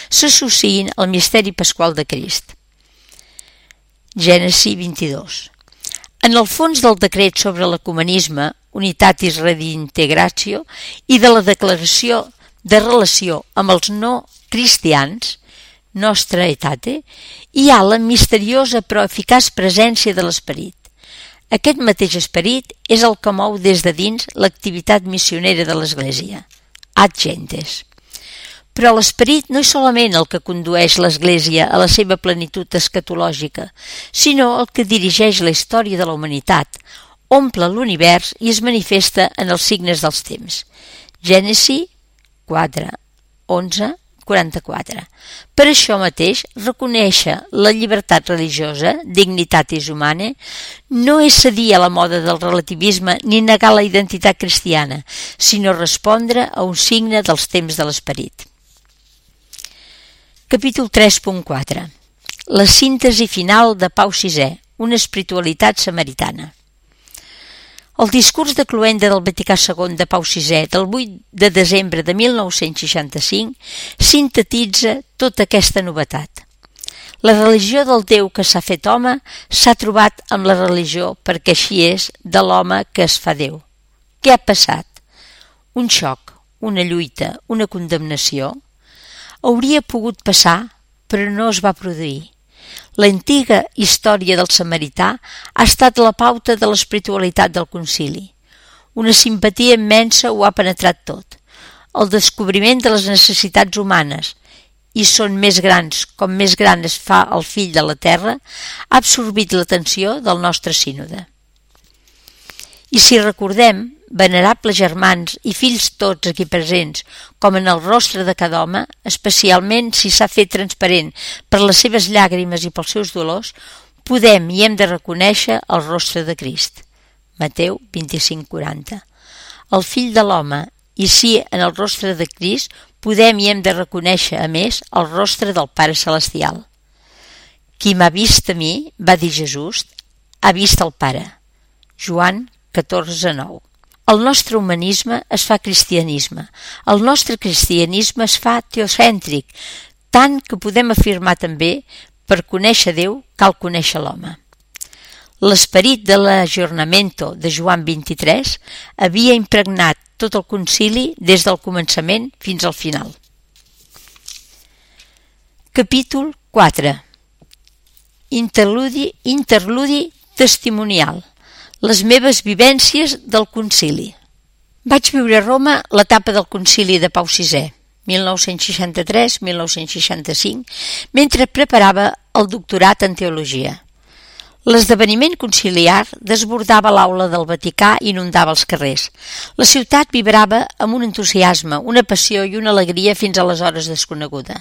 s'associïn al misteri pasqual de Crist. Gènesi 22. En el fons del decret sobre l'ecumenisme, Unitatis Redintegratio, i de la declaració de relació amb els no cristians, Nostra Aetate, hi ha la misteriosa però eficaç presència de l'esperit. Aquest mateix esperit és el que mou des de dins l'activitat missionera de l'Església, ad gentes. Però l'esperit no és solament el que condueix l'Església a la seva plenitud escatològica, sinó el que dirigeix la història de la humanitat, omple l'univers i es manifesta en els signes dels temps. Gènesi 4, 11, 44. Per això mateix, reconèixer la llibertat religiosa, dignitatis humanae, no és cedir a la moda del relativisme ni negar la identitat cristiana, sinó respondre a un signe dels temps de l'esperit. Capítol 3.4. La síntesi final de Pau VI, una espiritualitat samaritana. El discurs de cloenda del Vaticà II de Pau VI del 8 de desembre de 1965 sintetitza tota aquesta novetat. La religió del Déu que s'ha fet home s'ha trobat amb la religió, perquè així és, de l'home que es fa Déu. Què ha passat? Un xoc, una lluita, una condemnació? Hauria pogut passar, però no es va produir. L'antiga història del samarità ha estat la pauta de l'espiritualitat del concili. Una simpatia immensa ho ha penetrat tot. El descobriment de les necessitats humanes, i són més grans com més gran es fa el fill de la terra, ha absorbit l'atenció del nostre sínode. I si recordem, venerables germans i fills tots aquí presents, com en el rostre de cada home, especialment si s'ha fet transparent per les seves llàgrimes i pels seus dolors, podem i hem de reconèixer el rostre de Crist. Mateu 25:40. El fill de l'home, i si en el rostre de Crist podem i hem de reconèixer, a més, el rostre del Pare Celestial. Qui m'ha vist a mi, va dir Jesús, ha vist el Pare. Joan 14:9. El nostre humanisme es fa cristianisme. El nostre cristianisme es fa teocèntric, tant que podem afirmar també, per conèixer Déu cal conèixer l'home. L'esperit de l'ajornamento de Joan 23 havia impregnat tot el concili des del començament fins al final. Capítol 4. Interludi testimonial. Les meves vivències del concili. Vaig viure a Roma l'etapa del concili de Pau VI. 1963-1965, mentre preparava el doctorat en teologia. L'esdeveniment conciliar desbordava l'aula del Vaticà i inundava els carrers. La ciutat vibrava amb un entusiasme, una passió i una alegria fins aleshores desconeguda.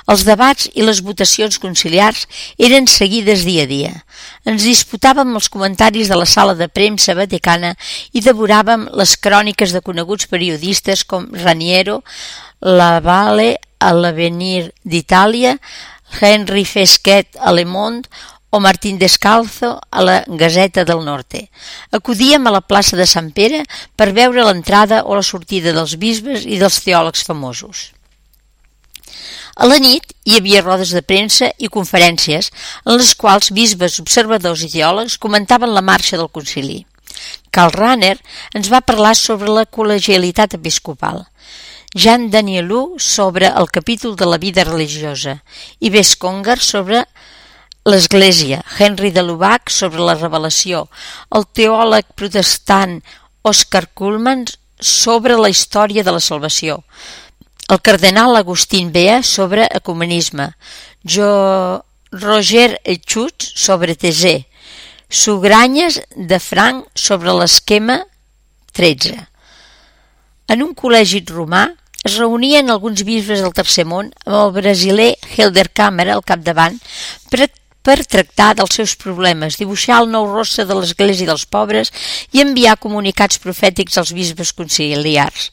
Els debats i les votacions conciliars eren seguides dia a dia. Ens disputàvem els comentaris de la sala de premsa vaticana i devoràvem les cròniques de coneguts periodistes com Raniero, Lavalle a l'Avenir d'Itàlia, Henry Fesquet a Le Monde o Martín Descalzo a la Gazeta del Norte. Acudíem a la plaça de Sant Pere per veure l'entrada o la sortida dels bisbes i dels teòlegs famosos. A la nit hi havia rodes de premsa i conferències en les quals bisbes, observadors i teòlegs comentaven la marxa del concili. Karl Rahner ens va parlar sobre la col·legialitat episcopal, Jean Danielou sobre el capítol de la vida religiosa i Bess Congar sobre l'Església, Henry de Lubac sobre la revelació, el teòleg protestant Oscar Cullmann sobre la història de la salvació, el cardenal Agustín Bea sobre ecumenisme, Roger Schutz sobre Thésée, Sugranyes de Frank sobre l'esquema 13. En un col·legi romà es reunien alguns bisbes del Tercer Món amb el brasiler Helder Câmara al capdavant per tractar dels seus problemes, dibuixar el nou rostre de l'Església dels pobres i enviar comunicats profètics als bisbes conciliars.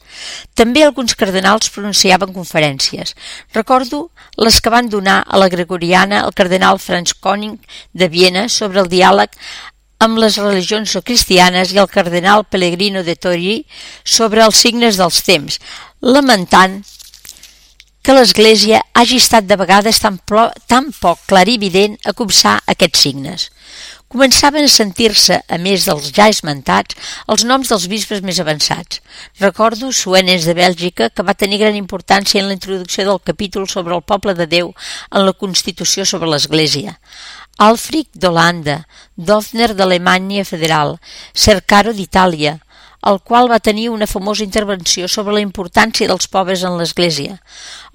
També alguns cardenals pronunciaven conferències. Recordo les que van donar a la Gregoriana el cardenal Franz König de Viena sobre el diàleg amb les religions no cristianes i el cardenal Pellegrino de Torí sobre els signes dels temps, lamentant que l'Església hagi estat de vegades tan poc clarivident a copsar aquests signes. Començaven a sentir-se, a més dels ja esmentats, els noms dels bisbes més avançats. Recordo Suenens de Bèlgica, que va tenir gran importància en la introducció del capítol sobre el poble de Déu en la Constitució sobre l'Església. Alfric d'Holanda, Dofner d'Alemanya Federal, Cercaro d'Itàlia, el qual va tenir una famosa intervenció sobre la importància dels pobres en l'Església.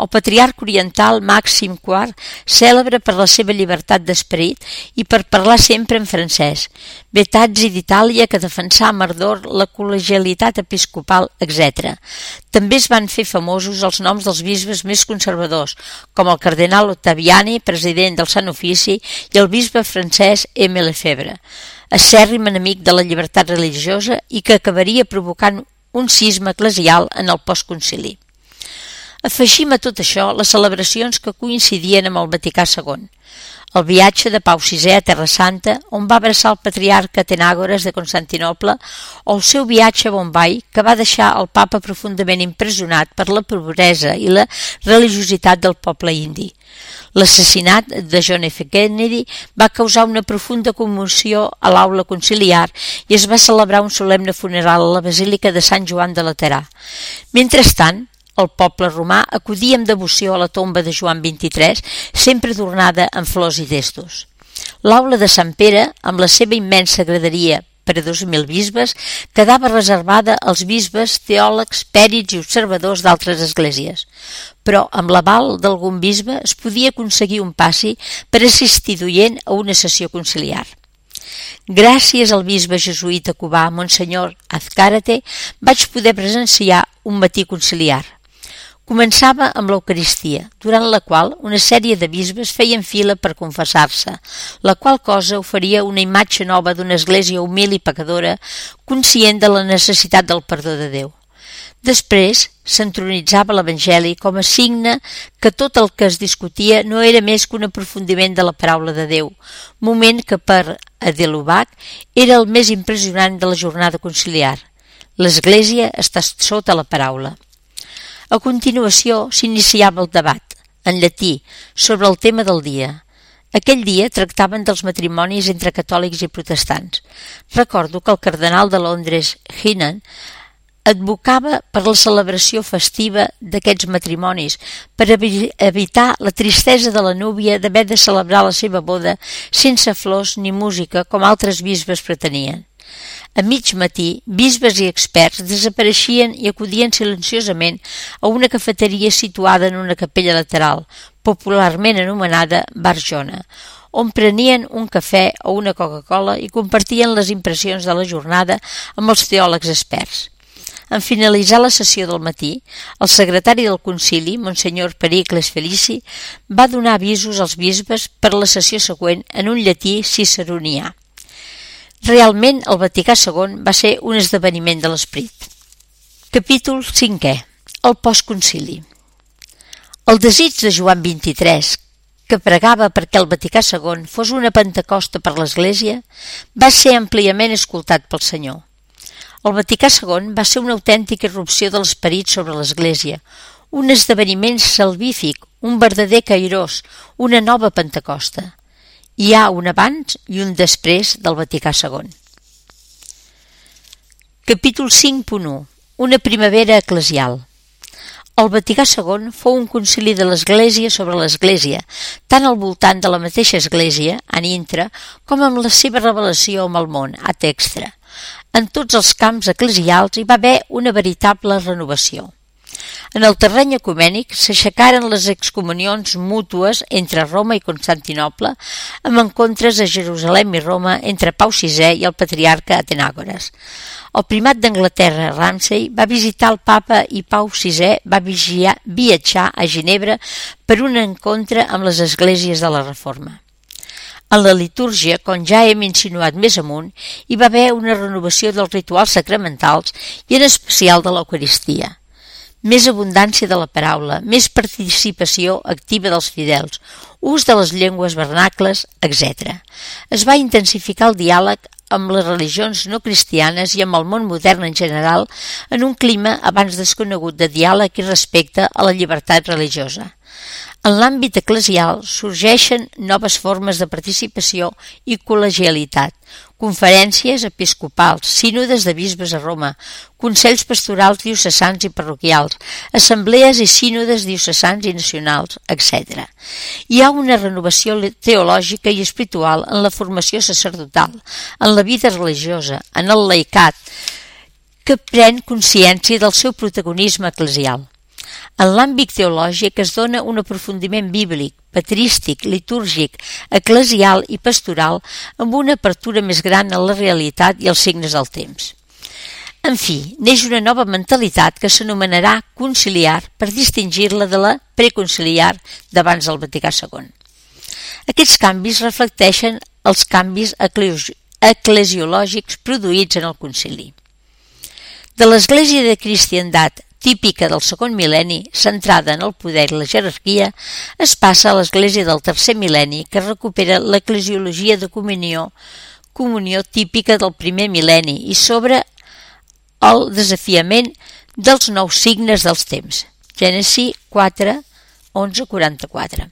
El patriarca oriental Màxim IV, cèlebre per la seva llibertat d'esperit i per parlar sempre en francès. Betazzi d'Itàlia, que defensà amb ardor la col·legialitat episcopal, etc. També es van fer famosos els noms dels bisbes més conservadors, com el cardenal Ottaviani, president del Sant Ofici, i el bisbe francès Aimé Lefebvre, acèrrim enemic de la llibertat religiosa i que acabaria provocant un cisma eclesial en el postconcili. Afegim a tot això les celebracions que coincidien amb el Vaticà II, el viatge de Pau VI a Terra Santa, on va abraçar el patriarca Atenàgores de Constantinoble, o el seu viatge a Bombai, que va deixar el papa profundament impressionat per la pobresa i la religiositat del poble indi. L'assassinat de John F. Kennedy va causar una profunda commoció a l'aula conciliar i es va celebrar un solemne funeral a la Basílica de Sant Joan de Laterà. Mentrestant, el poble romà acudia amb devoció a la tomba de Joan XXIII, sempre adornada amb flors i testos. L'aula de Sant Pere, amb la seva immensa graderia per a 2.000 bisbes, quedava reservada als bisbes, teòlegs, pèrits i observadors d'altres esglésies. Però amb l'aval d'algun bisbe es podia aconseguir un passi per assistir d'oient a una sessió conciliar. Gràcies al bisbe jesuïta cubà Monsenyor Azcárate vaig poder presenciar un matí conciliar. Començava amb l'Eucaristia, durant la qual una sèrie de bisbes feien fila per confessar-se, la qual cosa oferia una imatge nova d'una església humil i pecadora, conscient de la necessitat del perdó de Déu. Després s'entronitzava l'Evangeli com a signe que tot el que es discutia no era més que un aprofundiment de la paraula de Déu, moment que per Adelubac era el més impressionant de la jornada conciliar. L'Església està sota la paraula. A continuació s'iniciava el debat, en llatí, sobre el tema del dia. Aquell dia tractaven dels matrimonis entre catòlics i protestants. Recordo que el cardenal de Londres, Hinnan, advocava per la celebració festiva d'aquests matrimonis, per evitar la tristesa de la núvia d'haver de celebrar la seva boda sense flors ni música com altres bisbes pretenien. A mig matí, bisbes i experts desapareixien i acudien silenciosament a una cafeteria situada en una capella lateral, popularment anomenada Bar Jona, on prenien un cafè o una Coca-Cola i compartien les impressions de la jornada amb els teòlegs experts. En finalitzar la sessió del matí, el secretari del concili, Monsenyor Pericles Felici, va donar avisos als bisbes per a la sessió següent en un llatí ciceronià. Realment, el Vaticà II va ser un esdeveniment de l'esperit. Capítol 5è. El postconcili. El desig de Joan XXIII, que pregava perquè el Vaticà II fos una Pentecosta per l'Església, va ser àmpliament escoltat pel Senyor. El Vaticà II va ser una autèntica irrupció de l'esperit sobre l'Església, un esdeveniment salvífic, un verdader Kairos, una nova Pentecosta. Hi ha un abans i un després del Vaticà II. Capítol 5.1. Una primavera eclesial. El Vaticà II fou un concili de l'Església sobre l'Església, tant al voltant de la mateixa Església, an intra, com amb la seva revelació amb el món, ad extra. En tots els camps eclesials hi va haver una veritable renovació. En el terreny ecumènic s'aixecaren les excomunions mútues entre Roma i Constantinoble, amb encontres a Jerusalem i Roma entre Pau VI i el patriarca Atenàgores. El primat d'Anglaterra, Ramsay, va visitar el papa i Pau VI va viatjar a Ginebra per un encontre amb les esglésies de la Reforma. En la litúrgia, com ja hem insinuat més amunt, hi va haver una renovació dels rituals sacramentals i en especial de l'Eucaristia. Més abundància de la paraula, més participació activa dels fidels, ús de les llengües vernacles, etc. Es va intensificar el diàleg amb les religions no cristianes i amb el món modern en general en un clima abans desconegut de diàleg i respecte a la llibertat religiosa. En l'àmbit eclesial sorgeixen noves formes de participació i col·legialitat, conferències episcopals, sínodes de bisbes a Roma, consells pastorals diocesans i parroquials, assemblees i sínodes diocesans i nacionals, etc. Hi ha una renovació teològica i espiritual en la formació sacerdotal, en la vida religiosa, en el laicat, que pren consciència del seu protagonisme eclesial. En l'àmbit teològic es dona un aprofundiment bíblic, patrístic, litúrgic, eclesial i pastoral amb una apertura més gran a la realitat i als signes del temps. En fi, neix una nova mentalitat que s'anomenarà conciliar per distingir-la de la preconciliar d'abans del Vaticà II. Aquests canvis reflecteixen els canvis eclesiològics produïts en el concili. De l'Església de Cristiandat típica del segon mil·lenni, centrada en el poder i la jerarquia, es passa a l'Església del tercer mil·lenni, que recupera l'eclesiologia de comunió típica del primer mil·lenni i sobre el desafiament dels nous signes dels temps. Gènesi 4, 11-44.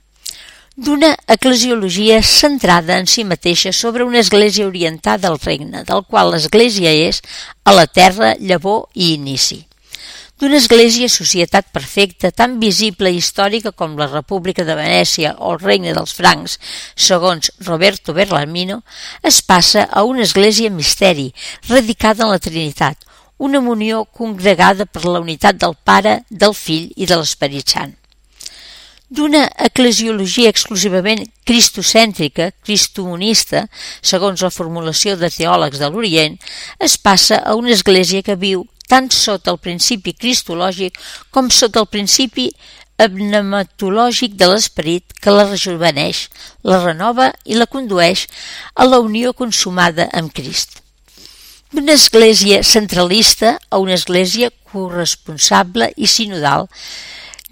D'una eclesiologia centrada en si mateixa sobre una església orientada al regne, del qual l'església és a la terra, llavor i inici. D'una església societat perfecta, tan visible i històrica com la República de Venècia o el Regne dels Francs, segons Roberto Bellarmino, es passa a una església misteri, radicada en la Trinitat, una unió congregada per la unitat del Pare, del Fill i de l'Esperit Sant. D'una eclesiologia exclusivament cristocèntrica, cristomonista, segons la formulació de teòlegs de l'Orient, es passa a una església que viu tant sota el principi cristològic com sota el principi pneumatològic de l'esperit que la rejuveneix, la renova i la condueix a la unió consumada amb Crist. D'una església centralista a una església corresponsable i sinodal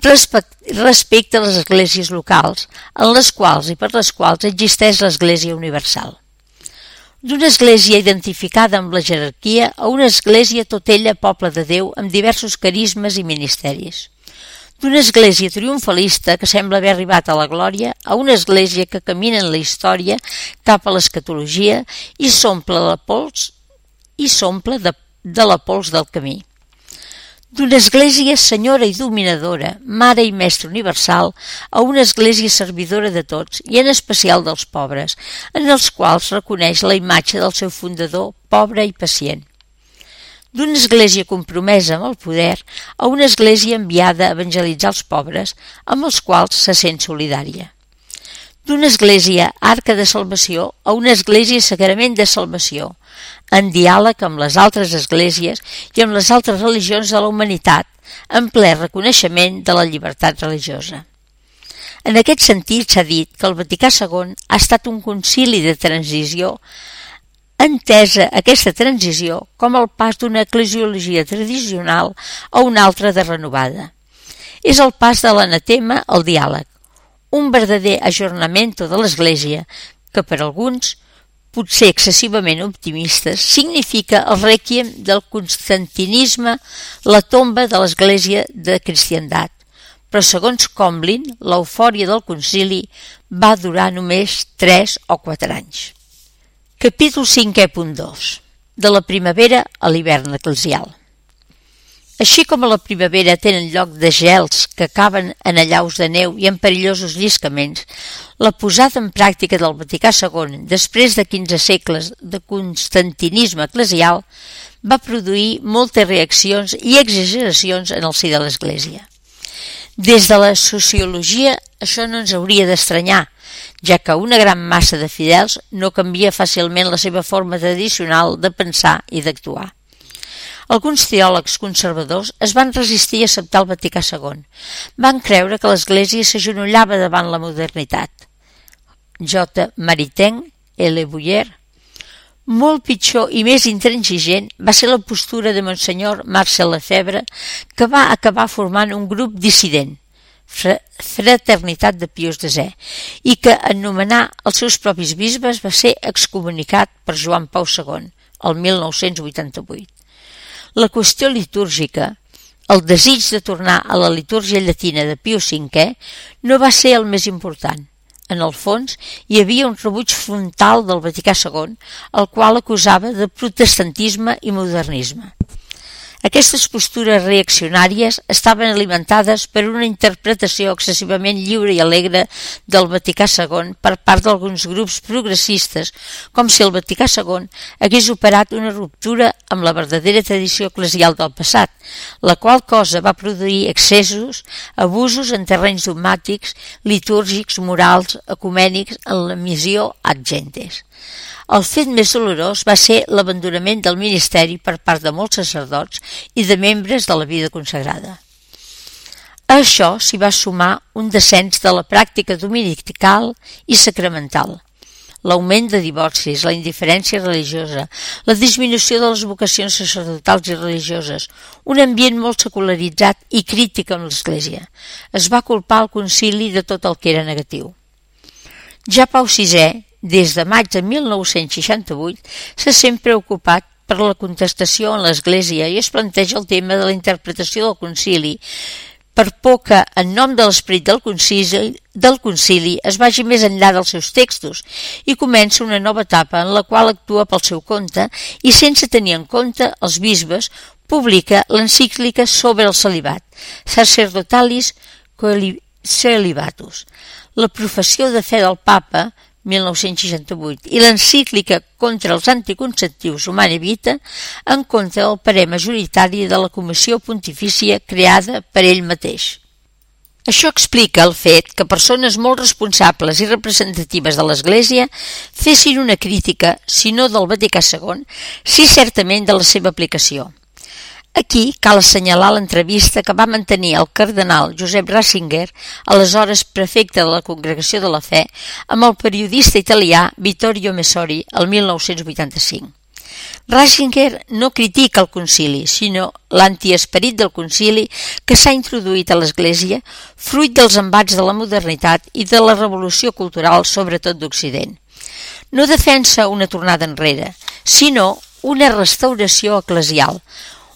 respecte a les esglésies locals, en les quals i per les quals existeix l'església universal. D'una església identificada amb la jerarquia a una església tot ella poble de Déu amb diversos carismes i ministeris. D'una església triomfalista que sembla haver arribat a la glòria a una església que camina en la història cap a l'escatologia i s'omple de la pols del camí. d'una església senyora i dominadora, mare i mestra universal, a una església servidora de tots i en especial dels pobres, en els quals reconeix la imatge del seu fundador pobre i pacient. D'una església compromesa amb el poder a una església enviada a evangelitzar els pobres, amb els quals se sent solidària. D'una església arca de salvació a una església sagrament de salvació, en diàleg amb les altres esglésies i amb les altres religions de la humanitat, en ple reconeixement de la llibertat religiosa. En aquest sentit s'ha dit que el Vaticà II ha estat un concili de transició, entesa aquesta transició com el pas d'una eclesiologia tradicional a una altra de renovada. És el pas de l'anatema al diàleg, un verdader ajornamento de l'Església que per alguns, potser excessivament optimistes, significa el rèquiem del constantinisme, la tomba de l'Església de cristiandat. Però segons Comblin, l'eufòria del concili va durar només 3 o 4 anys. Capítol 5.2. De la primavera a l'hivern eclesial. Així com a la primavera tenen lloc desgels que acaben en allaus de neu i en perillosos lliscaments, la posada en pràctica del Vaticà II, després de 15 segles de constantinisme eclesial, va produir moltes reaccions i exageracions en el si de l'Església. Des de la sociologia això no ens hauria d'estranyar, ja que una gran massa de fidels no canvia fàcilment la seva forma tradicional de pensar i d'actuar. Alguns teòlegs conservadors es van resistir a acceptar el Vaticà II. Van creure que l'Església s'agenollava davant la modernitat. J. Maritain, L. Bouyer. Molt pitjor i més intransigent va ser la postura de Monsenyor Marcel Lefebvre, que va acabar formant un grup dissident, Fraternitat de Pius X, i que en nomenar els seus propis bisbes va ser excomunicat per Joan Pau II, el 1988. La qüestió litúrgica, el desig de tornar a la litúrgia llatina de Pius V, no va ser el més important. En el fons, hi havia un rebuig frontal del Vaticà II, el qual acusava de protestantisme i modernisme. Aquestes postures reaccionàries estaven alimentades per una interpretació excessivament lliure i alegre del Vaticà II per part d'alguns grups progressistes, com si el Vaticà II hagués operat una ruptura amb la verdadera tradició eclesial del passat, la qual cosa va produir excessos, abusos en terrenys dogmàtics, litúrgics, morals, ecumènics en la missió ad gentes. El fet més dolorós va ser l'abandonament del ministeri per part de molts sacerdots i de membres de la vida consagrada. A això s'hi va sumar un descens de la pràctica dominical i sacramental, l'augment de divorcis, la indiferència religiosa, la disminució de les vocacions sacerdotals i religioses, un ambient molt secularitzat i crític amb l'Església. Es va culpar el concili de tot el que era negatiu. Ja Pau VI, des de maig de 1968, se sent preocupat per la contestació en l'Església i es planteja el tema de la interpretació del concili, per por que, en nom de l'esperit del concili, es vagi més enllà dels seus textos i comença una nova etapa en la qual actua pel seu compte i, sense tenir en compte els bisbes, publica l'encíclica sobre el celibat, Sacerdotalis Celibatus, la professió de fe del papa, 1968, i l'encíclica contra els anticonceptius Humane Vitae en contra del parer majoritari de la Comissió Pontifícia creada per ell mateix. Això explica el fet que persones molt responsables i representatives de l'Església fessin una crítica, si no del Vaticà II, sí certament de la seva aplicació. Aquí cal assenyalar l'entrevista que va mantenir el cardenal Josep Ratzinger, aleshores prefecte de la Congregació de la Fe, amb el periodista italià Vittorio Messori el 1985. Ratzinger no critica el concili, sinó l'antiesperit del concili que s'ha introduït a l'Església, fruit dels embats de la modernitat i de la revolució cultural, sobretot d'Occident. No defensa una tornada enrere, sinó una restauració eclesial,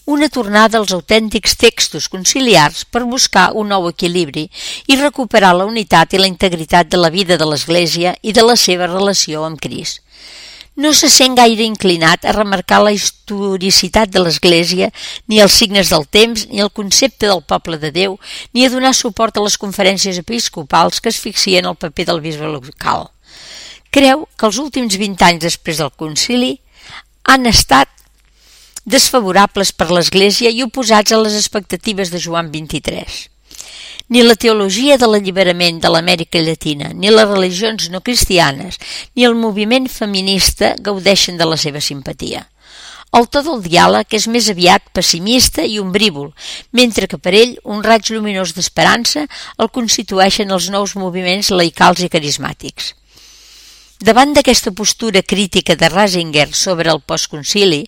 una tornada als autèntics textos conciliars per buscar un nou equilibri i recuperar la unitat i la integritat de la vida de l'Església i de la seva relació amb Crist. no se sent gaire inclinat a remarcar la historicitat de l'Església, ni els signes del temps, ni el concepte del poble de Déu, ni a donar suport a les conferències episcopals que asfixien el paper del bisbe local. Creu que els últims 20 anys després del concili han estat desfavorables per l'Església i oposats a les expectatives de Joan XXIII. Ni la teologia de l'alliberament de l'Amèrica Llatina, ni les religions no cristianes, ni el moviment feminista gaudeixen de la seva simpatia. El to del diàleg és més aviat pessimista i ombrívol, mentre que per ell un raig lluminós d'esperança el constitueixen els nous moviments laicals i carismàtics. Davant d'aquesta postura crítica de Ratzinger sobre el postconcili,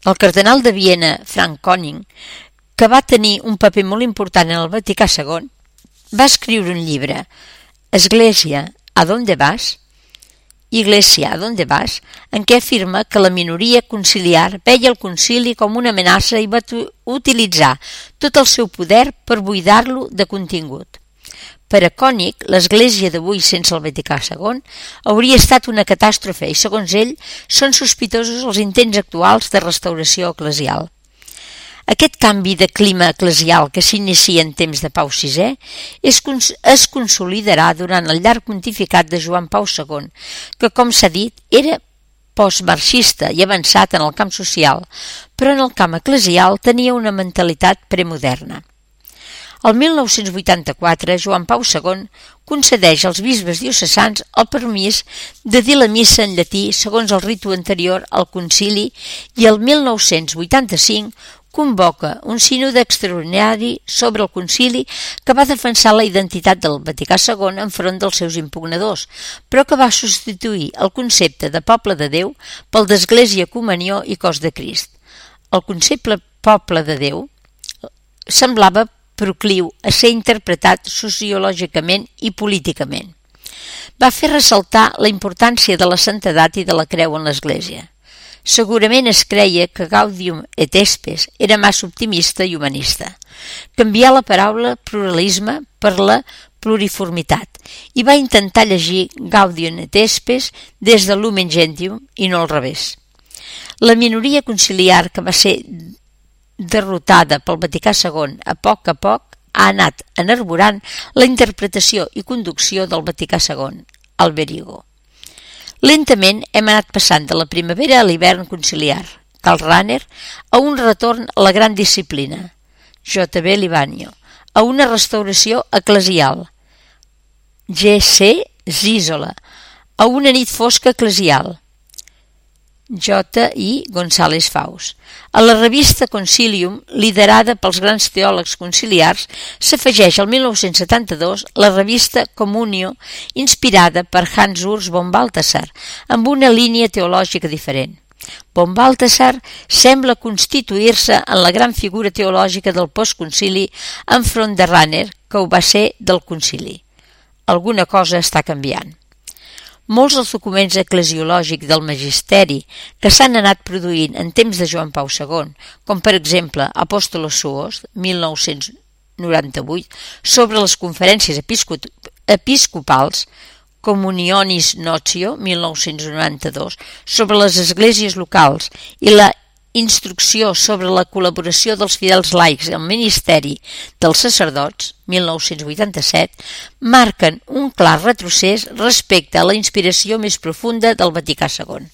el cardenal de Viena, Frank Koning, que va tenir un paper molt important en el Vaticà II, va escriure un llibre, Església, ¿a dónde vas? Iglesia, ¿a dónde vas?, en què afirma que la minoria conciliar veia el concili com una amenaça i va utilitzar tot el seu poder per buidar-lo de contingut. Per a Koenig, l'Església d'avui sense el Vaticà II hauria estat una catàstrofe i, segons ell, són sospitosos els intents actuals de restauració eclesial. Aquest canvi de clima eclesial que s'inicia en temps de Pau VI es consolidarà durant el llarg pontificat de Joan Pau II, que, com s'ha dit, era postmarxista i avançat en el camp social, però en el camp eclesial tenia una mentalitat premoderna. El 1984, Joan Pau II concedeix als bisbes diocesans el permís de dir la missa en llatí segons el ritu anterior al concili i el 1985 convoca un sínode extraordinari sobre el concili que va defensar la identitat del Vaticà II enfront dels seus impugnadors, però que va substituir el concepte de poble de Déu pel d'Església, Comunió i Cos de Crist. El concepte poble de Déu semblava procliu a ser interpretat sociològicament i políticament. Va fer ressaltar la importància de la santedat i de la creu en l'Església. Segurament es creia que Gaudium et Spes era massa optimista i humanista. Canvià la paraula pluralisme per la pluriformitat i va intentar llegir Gaudium et Spes des de Lumen Gentium i no al revés. La minoria conciliar que va ser derrotada pel Vaticà II a poc ha anat enarborant la interpretació i conducció del Vaticà II, Alberigo. Lentament hem anat passant de la primavera a l'hivern conciliar, Karl Rahner, a un retorn a la gran disciplina, J.B. Livanio, a una restauració eclesial, G.C. Zizola, a una nit fosca eclesial, J.I. González Faus. A la revista Concilium, liderada pels grans teòlegs conciliars, s'afegeix el 1972 la revista Communio, inspirada per Hans Urs von Balthasar, amb una línia teològica diferent. Von Balthasar sembla constituir-se en la gran figura teològica del postconcili enfront de Rahner, que ho va ser del concili. Alguna cosa està canviant. Molts dels documents eclesiològics del magisteri que s'han anat produint en temps de Joan Pau II, com per exemple Apostolos Suos, 1998, sobre les conferències episcopals, Communionis Notio, 1992, sobre les esglésies locals i la Instrucció sobre la col·laboració dels fidels laics al ministeri dels sacerdots, 1987, marquen un clar retrocés respecte a la inspiració més profunda del Vaticà II.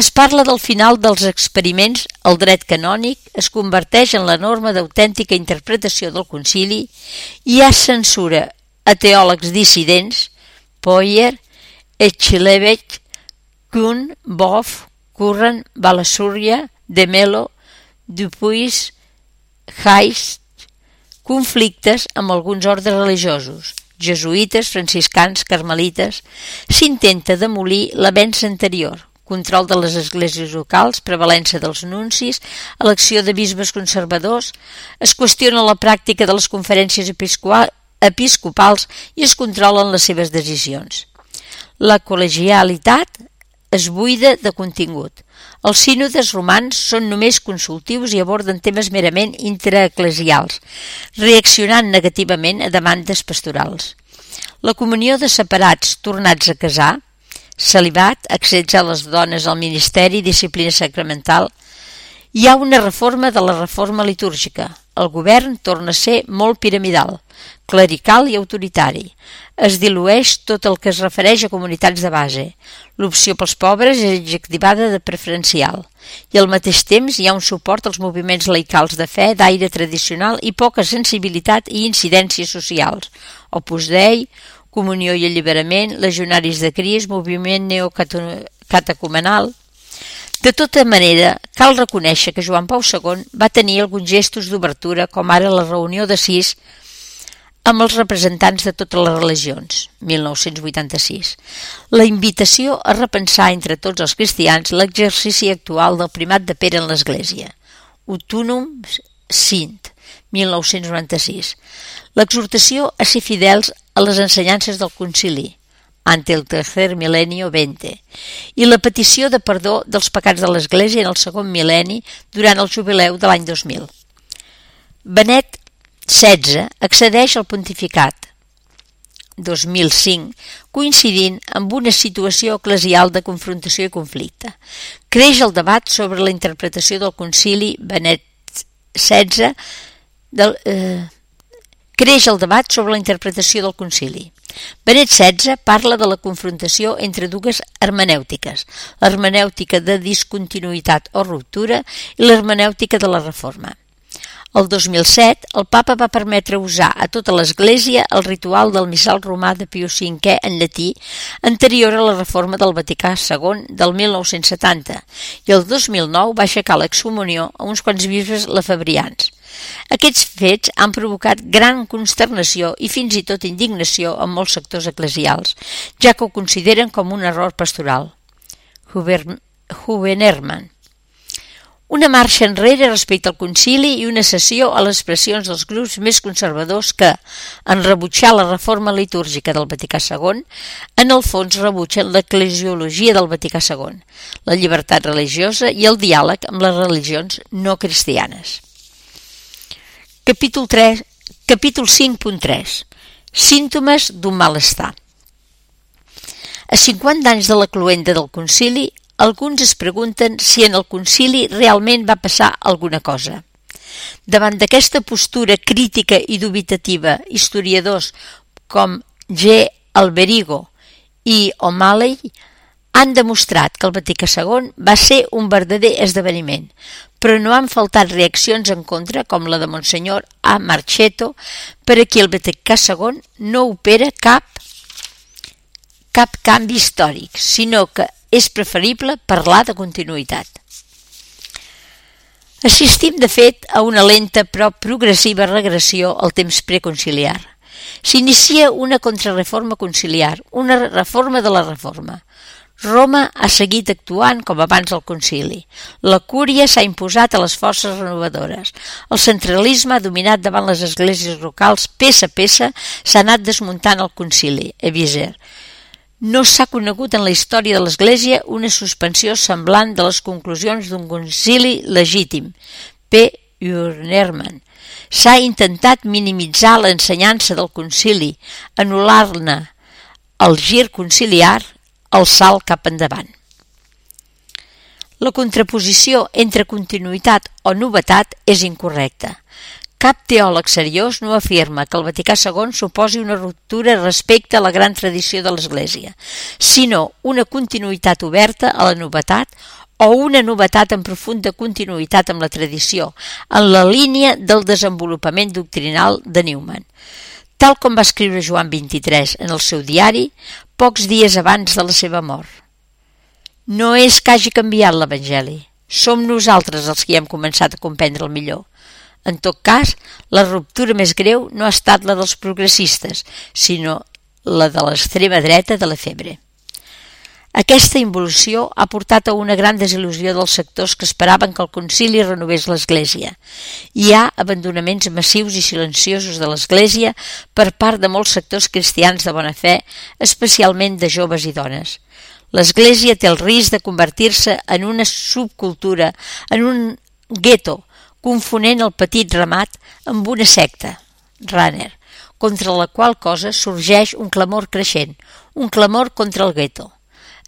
Es parla del final dels experiments, el dret canònic es converteix en la norma d'autèntica interpretació del concili, hi ha censura a teòlegs dissidents, Poyer, Echelevech, Kuhn, Boff, Curran, Balasúria, De Mello, Dupuis, Heist, conflictes amb alguns ordres religiosos, jesuïtes, franciscans, carmelites. S'intenta demolir l'avenç anterior, control de les esglésies locals, prevalença dels nuncis, elecció de bisbes conservadors, es qüestiona la pràctica de les conferències episcopals i es controlen les seves decisions. La col·legialitat es buida de contingut. Els sínodes romans són només consultius i aborden temes merament intraeclesials, reaccionant negativament a demandes pastorals. La comunió de separats tornats a casar celibat, accés a les dones al ministeri, disciplina sacramental. Hi ha una reforma de la reforma litúrgica. El govern torna a ser molt piramidal, clerical i autoritari. Es dilueix tot el que es refereix a comunitats de base. L'opció pels pobres és adjectivada de preferencial. I al mateix temps hi ha un suport als moviments laicals de fe d'aire tradicional i poca sensibilitat i incidències socials. Opus Dei, Comunió i Alliberament, Legionaris de Crist, moviment neocatecumenal. De tota manera, cal reconèixer que Joan Pau II va tenir alguns gestos d'obertura, com ara la reunió d'Assís amb els representants de totes les religions, 1986. La invitació a repensar entre tots els cristians l'exercici actual del primat de Pere en l'Església, Utunum Sint, 1996. L'exhortació a ser fidels a les ensenyances del concili, ante el tercer milenio 20, i la petició de perdó dels pecats de l'Església en el segon mil·lenni durant el jubileu de l'any 2000. Benet XVI accedeix al pontificat 2005, coincidint amb una situació eclesial de confrontació i conflicte. Creix el debat sobre la interpretació del concili Benet XVI Benet XVI parla de la confrontació entre dues hermenèutiques, l'hermenèutica de discontinuïtat o ruptura i l'hermenèutica de la reforma. El 2007, el papa va permetre usar a tota l'Església el ritual del missal romà de Pius V en llatí anterior a la reforma del Vaticà II del 1970 i el 2009 va aixecar l'excomunió a uns quants bisbes lefebrians. Aquests fets han provocat gran consternació i fins i tot indignació en molts sectors eclesials, ja que ho consideren com un error pastoral. Hubenerman. Una marxa enrere respecte al concili i una cessió a les pressions dels grups més conservadors que, en rebutjar la reforma litúrgica del Vaticà II, en el fons rebutgen l'eclesiologia del Vaticà II, la llibertat religiosa i el diàleg amb les religions no cristianes. Capítol 5.3. Símptomes d'un malestar. A 50 anys de la cloenda del concili, alguns es pregunten si en el concili realment va passar alguna cosa. Davant d'aquesta postura crítica i dubitativa, historiadors com G. Alberigo i O'Malley han demostrat que el Vaticà II va ser un verdader esdeveniment, però no han faltat reaccions en contra, com la de Monsenyor A. Marchetto, per a qui el Vaticà II no opera cap canvi històric, sinó que és preferible parlar de continuïtat. Assistim, de fet, a una lenta però progressiva regressió al temps preconciliar. S'inicia una contrarreforma conciliar, una reforma de la reforma. Roma ha seguit actuant com abans del concili. La cúria s'ha imposat a les forces renovadores. El centralisme ha dominat davant les esglésies locals. Peça a peça s'ha anat desmuntant el concili, Eviser. No s'ha conegut en la història de l'Església una suspensió semblant de les conclusions d'un concili legítim, P. Unerman. S'ha intentat minimitzar l'ensenyança del concili, anul·lar-ne el gir conciliar, el salt cap endavant. La contraposició entre continuïtat o novetat és incorrecta. Cap teòleg seriós no afirma que el Vaticà II suposi una ruptura respecte a la gran tradició de l'Església, sinó una continuïtat oberta a la novetat o una novetat en profunda continuïtat amb la tradició, en la línia del desenvolupament doctrinal de Newman. Tal com va escriure Joan XXIII en el seu diari, pocs dies abans de la seva mort. No és que hagi canviat l'Evangeli, som nosaltres els que hem començat a comprendre'l millor. En tot cas, la ruptura més greu no ha estat la dels progressistes, sinó la de l'extrema dreta de Lefebvre. Aquesta involució ha portat a una gran desil·lusió dels sectors que esperaven que el concili renovés l'Església. Hi ha abandonaments massius i silenciosos de l'Església per part de molts sectors cristians de bona fe, especialment de joves i dones. L'Església té el risc de convertir-se en una subcultura, en un gueto, confonent el petit ramat amb una secta, Runner, contra la qual cosa sorgeix un clamor creixent, un clamor contra el gueto.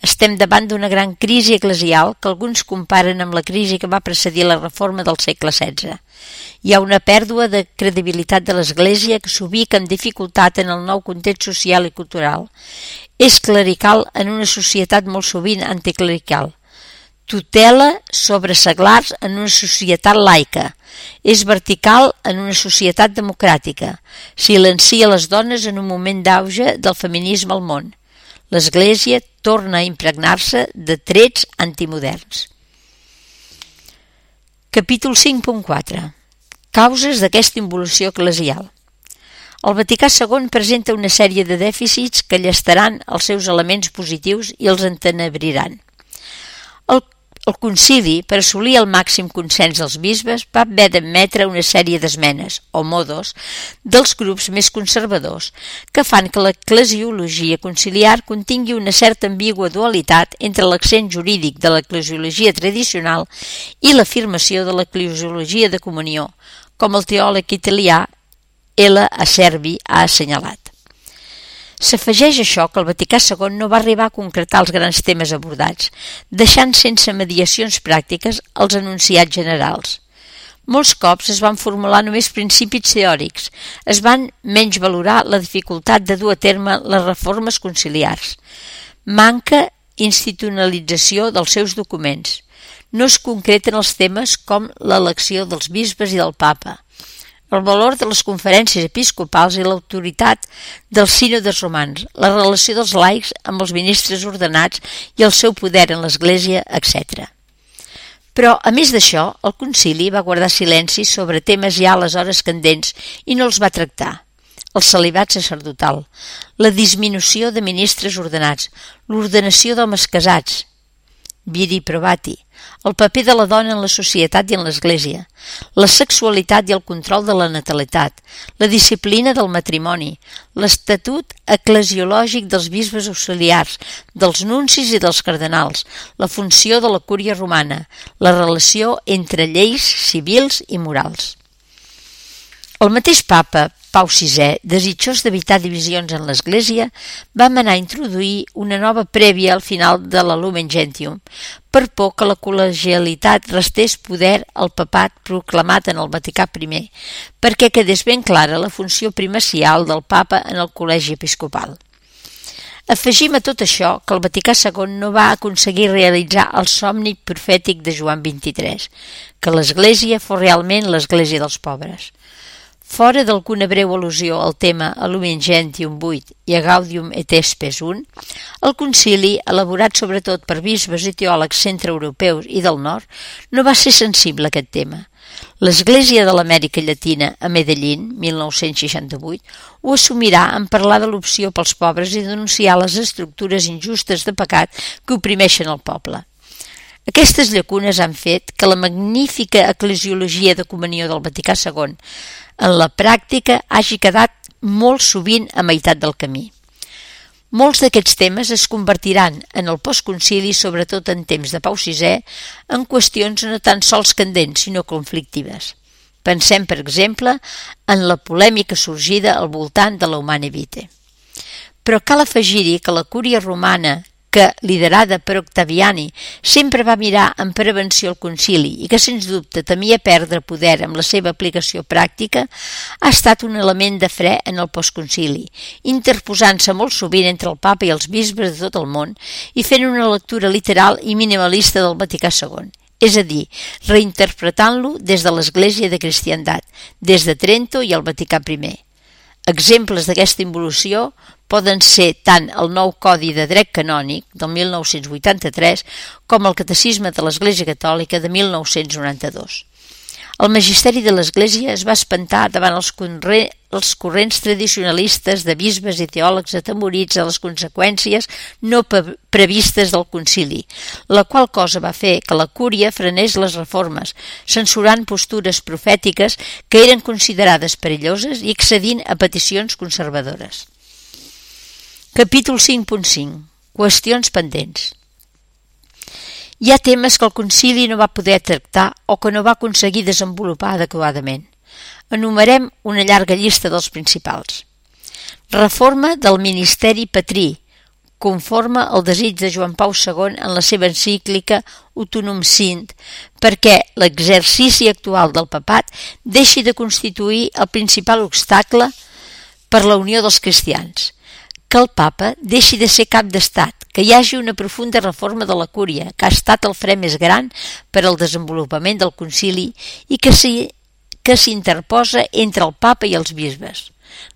Estem davant d'una gran crisi eclesial que alguns comparen amb la crisi que va precedir la reforma del segle XVI. Hi ha una pèrdua de credibilitat de l'Església que s'ubica amb dificultat en el nou context social i cultural. És clerical en una societat molt sovint anticlerical. Tutela sobre seglars en una societat laica. És vertical en una societat democràtica. Silencia les dones en un moment d'auge del feminisme al món. L'Església torna a impregnar-se de trets antimoderns. Capítol 5.4. Causes d'aquesta involució eclesial. El Vaticà II presenta una sèrie de dèficits que llestaran els seus elements positius i els entenebriran. El concili, per assolir el màxim consens dels bisbes, va haver d'admetre una sèrie d'esmenes, o modos, dels grups més conservadors, que fan que l'eclesiologia conciliar contingui una certa ambigua dualitat entre l'accent jurídic de l'eclesiologia tradicional i l'afirmació de l'eclesiologia de comunió, com el teòleg italià L. Acerbi ha assenyalat. S'afegeix això que el Vaticà II no va arribar a concretar els grans temes abordats, deixant sense mediacions pràctiques els enunciats generals. Molts cops es van formular només principis teòrics, es van menys valorar la dificultat de dur a terme les reformes conciliars. Manca institucionalització dels seus documents. No es concreten els temes com l'elecció dels bisbes i del papa, el valor de les conferències episcopals i l'autoritat dels sínodes romans, la relació dels laics amb els ministres ordenats i el seu poder en l'Església, etc. Però, a més d'això, el concili va guardar silenci sobre temes ja aleshores candents i no els va tractar. El celibat sacerdotal, la disminució de ministres ordenats, l'ordenació d'homes casats, viri probati, el paper de la dona en la societat i en l'Església, la sexualitat i el control de la natalitat, la disciplina del matrimoni, l'estatut eclesiològic dels bisbes auxiliars, dels nuncis i dels cardenals, la funció de la cúria romana, la relació entre lleis civils i morals. El mateix papa, Pau VI, desitjós d'evitar divisions en l'Església, va manar a introduir una nova prèvia al final de la Lumen Gentium, per por que la col·legialitat restés poder al papat proclamat en el Vaticà I, perquè quedés ben clara la funció primacial del papa en el col·legi episcopal. Afegim a tot això que el Vaticà II no va aconseguir realitzar el somni profètic de Joan XXIII, que l'Església fos realment l'Església dels pobres. Fora d'alguna breu al·lusió al tema a Lumen Gentium 8 i a Gaudium et Spes 1, el concili, elaborat sobretot per bisbes i teòlegs centreeuropeus i del nord, no va ser sensible a aquest tema. L'Església de l'Amèrica Llatina a Medellín, 1968, ho assumirà en parlar de l'opció pels pobres i denunciar les estructures injustes de pecat que oprimeixen el poble. Aquestes llacunes han fet que la magnífica eclesiologia de comunió del Vaticà II en la pràctica hagi quedat molt sovint a meitat del camí. Molts d'aquests temes es convertiran en el postconcili, sobretot en temps de Pau VI, en qüestions no tan sols candents, sinó conflictives. Pensem, per exemple, en la polèmica sorgida al voltant de la Humanae Vitae. Però cal afegir-hi que la cúria romana, que, liderada per Octaviani, sempre va mirar en prevenció el concili i que, sens dubte, temia perdre poder amb la seva aplicació pràctica, ha estat un element de fre en el postconcili, interposant-se molt sovint entre el papa i els bisbes de tot el món i fent una lectura literal i minimalista del Vaticà II, és a dir, reinterpretant-lo des de l'Església de Cristiandat, des de Trento i el Vaticà I. Exemples d'aquesta involució poden ser tant el nou Codi de Dret Canònic del 1983 com el Catecisme de l'Església Catòlica de 1992. El magisteri de l'Església es va espantar davant els corrents tradicionalistes de bisbes i teòlegs atemorits a les conseqüències no previstes del concili, la qual cosa va fer que la cúria frenés les reformes, censurant postures profètiques que eren considerades perilloses i accedint a peticions conservadores. Capítol 5.5. Qüestions pendents. Hi ha temes que el concili no va poder tractar o que no va aconseguir desenvolupar adequadament. Enumerem una llarga llista dels principals. Reforma del ministeri patrí, conforme al desig de Joan Pau II en la seva encíclica Utunum Sint, perquè l'exercici actual del papat deixi de constituir el principal obstacle per la unió dels cristians, que el papa deixi de ser cap d'estat, que hi hagi una profunda reforma de la cúria, que ha estat el fre més gran per al desenvolupament del concili i que s'interposa entre el papa i els bisbes.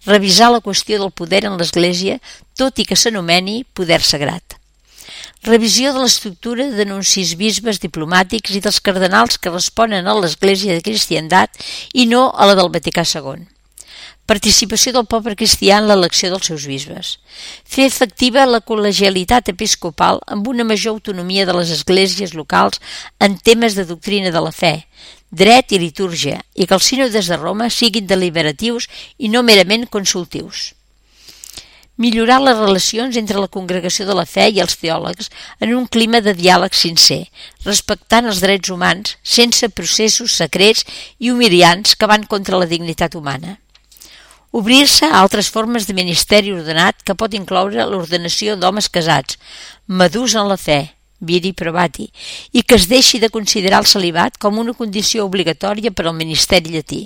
Revisar la qüestió del poder en l'Església, tot i que s'anomeni poder sagrat. Revisió de l'estructura d'anuncis bisbes diplomàtics i dels cardenals que responen a l'Església de Cristiandat i no a la del Vaticà II. Participació del poble cristià en l'elecció dels seus bisbes. Fer efectiva la col·legialitat episcopal amb una major autonomia de les esglésies locals en temes de doctrina de la fe, dret i litúrgia, i que els sínodes de Roma siguin deliberatius i no merament consultius. Millorar les relacions entre la congregació de la fe i els teòlegs en un clima de diàleg sincer, respectant els drets humans sense processos secrets i humiliants que van contra la dignitat humana. Obrir-se a altres formes de ministeri ordenat que pot incloure l'ordenació d'homes casats, madurs en la fe, viri probati, i que es deixi de considerar el celibat com una condició obligatòria per al ministeri llatí.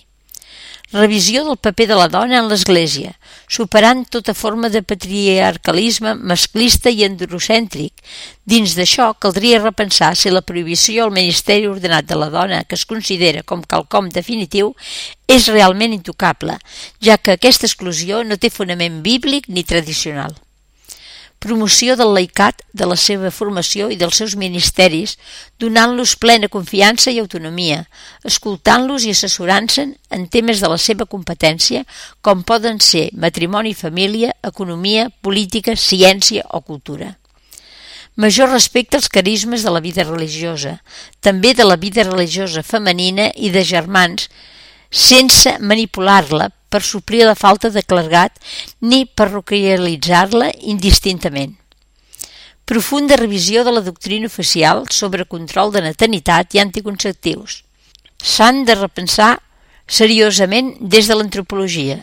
Revisió del paper de la dona en l'Església, superant tota forma de patriarcalisme masclista i androcèntric. Dins d'això, caldria repensar si la prohibició al ministeri ordenat de la dona, que es considera com quelcom definitiu, és realment intocable, ja que aquesta exclusió no té fonament bíblic ni tradicional. Promoció del laicat, de la seva formació i dels seus ministeris, donant-los plena confiança i autonomia, escoltant-los i assessorant-se'n en temes de la seva competència, com poden ser matrimoni i família, economia, política, ciència o cultura. Major respecte als carismes de la vida religiosa, també de la vida religiosa femenina i de germans, sense manipular-la per suplir la falta de clergat ni parroquialitzar-la indistintament. Profunda revisió de la doctrina oficial sobre control de natalinitat i anticonceptius. S'han de repensar seriosament des de l'antropologia,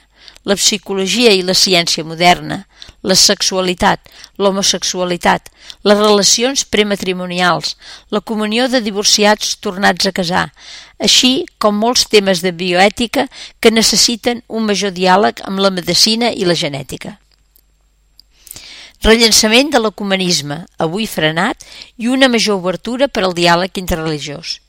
la psicologia i la ciència moderna, la sexualitat, l'homosexualitat, les relacions prematrimonials, la comunió de divorciats tornats a casar, així com molts temes de bioètica que necessiten un major diàleg amb la medicina i la genètica. Rellançament de l'ecumenisme, avui frenat, i una major obertura per al diàleg interreligiós.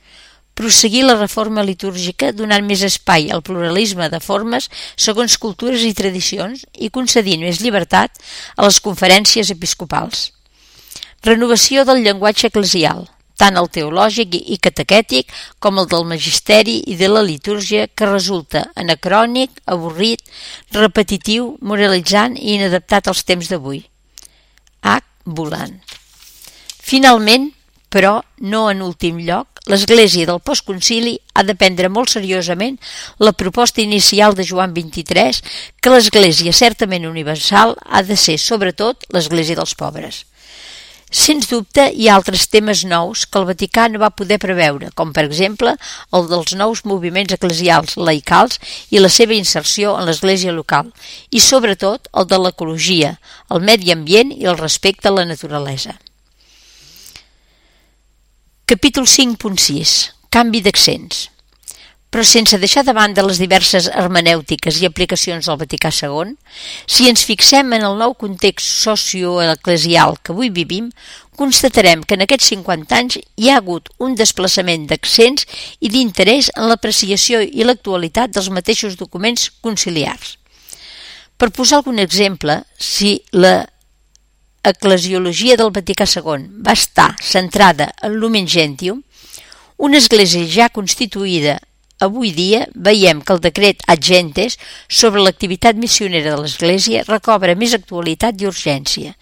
Prosseguir la reforma litúrgica donant més espai al pluralisme de formes segons cultures i tradicions i concedint més llibertat a les conferències episcopals. Renovació del llenguatge eclesial, tant el teològic i catequètic com el del magisteri i de la litúrgia, que resulta anacrònic, avorrit, repetitiu, moralitzant i inadaptat als temps d'avui. H. Volant. Finalment, però no en últim lloc, l'Església del postconcili ha de prendre molt seriosament la proposta inicial de Joan XXIII que l'Església certament universal ha de ser sobretot l'Església dels pobres. Sens dubte hi ha altres temes nous que el Vaticà no va poder preveure, com per exemple el dels nous moviments eclesials laicals i la seva inserció en l'Església local, i sobretot el de l'ecologia, el medi ambient i el respecte a la naturalesa. Capítol 5.6. Canvi d'accents. Però sense deixar de banda les diverses hermenèutiques i aplicacions del Vaticà II, si ens fixem en el nou context socioeclesial que avui vivim, constatarem que en aquests 50 anys hi ha hagut un desplaçament d'accents i d'interès en l'apreciació i l'actualitat dels mateixos documents conciliars. Per posar algun exemple, si la eclesiologia del Vaticà II va estar centrada en Lumen Gentium, una església ja constituïda avui dia veiem que el decret Ad Gentes sobre l'activitat missionera de l'Església recobra més actualitat i urgència.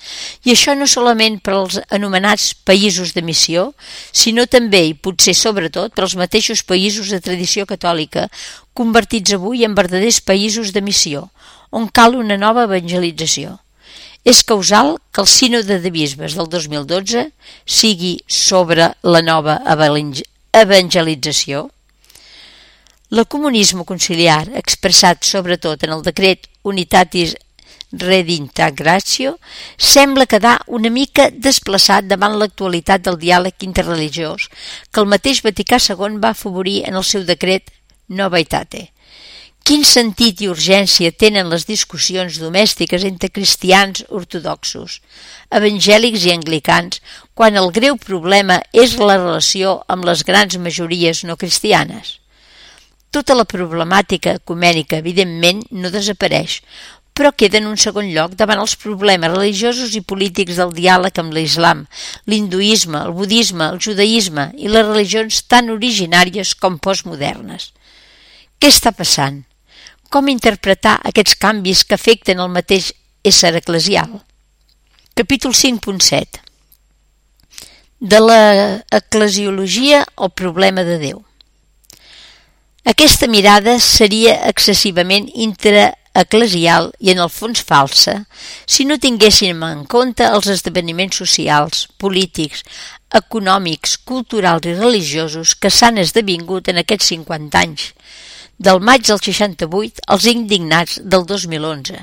I això no solament per als anomenats països de missió, sinó també i potser sobretot per als mateixos països de tradició catòlica, convertits avui en verdaders països de missió, on cal una nova evangelització. És causal que el sínode de bisbes del 2012 sigui sobre la nova evangelització. L'ecumenisme conciliar, expressat sobretot en el decret Unitatis redintegratio, sembla quedar una mica desplaçat davant l'actualitat del diàleg interreligiós que el mateix Vaticà II va afavorir en el seu decret Nova Aetate. Quin sentit i urgència tenen les discussions domèstiques entre cristians ortodoxos, evangèlics i anglicans, quan el greu problema és la relació amb les grans majories no cristianes? Tota la problemàtica ecumènica, evidentment, no desapareix, però queda en un segon lloc davant els problemes religiosos i polítics del diàleg amb l'islam, l'hinduisme, el budisme, el judaïsme i les religions tan originàries com postmodernes. Què està passant? Com interpretar aquests canvis que afecten el mateix ésser eclesial? Capítol 5.7. De l'eclesiologia al problema de Déu. Aquesta mirada seria excessivament intraeclesial i en el fons falsa si no tinguéssim en compte els esdeveniments socials, polítics, econòmics, culturals i religiosos que s'han esdevingut en aquests 50 anys, del maig del 68 als indignats del 2011,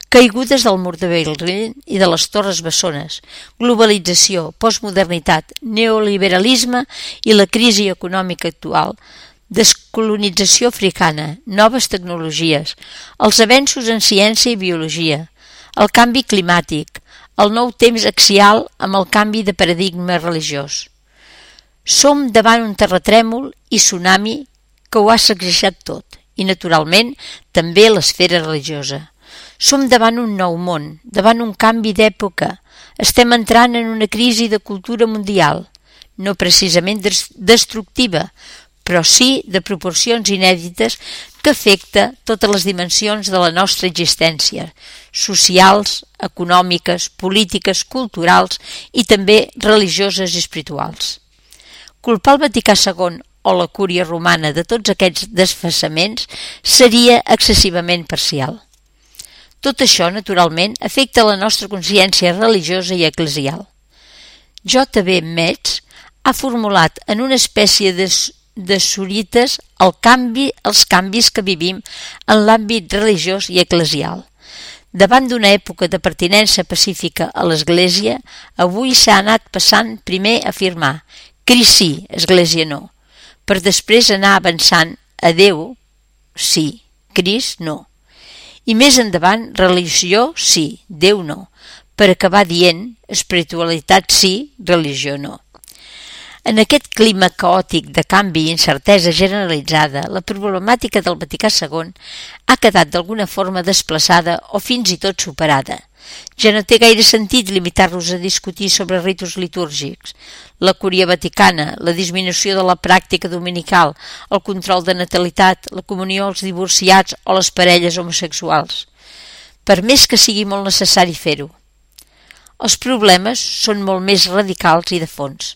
caigudes del mur de Berlín i de les Torres Bessones, globalització, postmodernitat, neoliberalisme i la crisi econòmica actual, descolonització africana, noves tecnologies, els avenços en ciència i biologia, el canvi climàtic, el nou temps axial amb el canvi de paradigma religiós. Som davant un terratrèmol i tsunami que ho ha sacsejat tot, i naturalment també l'esfera religiosa. Som davant un nou món, davant un canvi d'època. Estem entrant en una crisi de cultura mundial, no precisament destructiva, però sí de proporcions inèdites que afecta totes les dimensions de la nostra existència, socials, econòmiques, polítiques, culturals i també religioses i espirituals. Culpar el Vaticà II o la Cúria Romana de tots aquests desfassaments seria excessivament parcial. Tot això, naturalment, afecta la nostra consciència religiosa i eclesial. J.B. Metz ha formulat en una espècie de sorites els canvis que vivim en l'àmbit religiós i eclesial. Davant d'una època de pertinença pacífica a l'Església, avui s'ha anat passant primer a afirmar «Crist sí, Església no», per després anar avançant a Déu sí, Crist no. I més endavant, religió sí, Déu no, per acabar dient espiritualitat sí, religió no. En aquest clima caòtic de canvi i incertesa generalitzada, la problemàtica del Vaticà II ha quedat d'alguna forma desplaçada o fins i tot superada. Ja no té gaire sentit limitar-nos a discutir sobre ritus litúrgics, la Cúria Vaticana, la disminució de la pràctica dominical, el control de natalitat, la comunió als divorciats o les parelles homosexuals, per més que sigui molt necessari fer-ho. Els problemes són molt més radicals i de fons.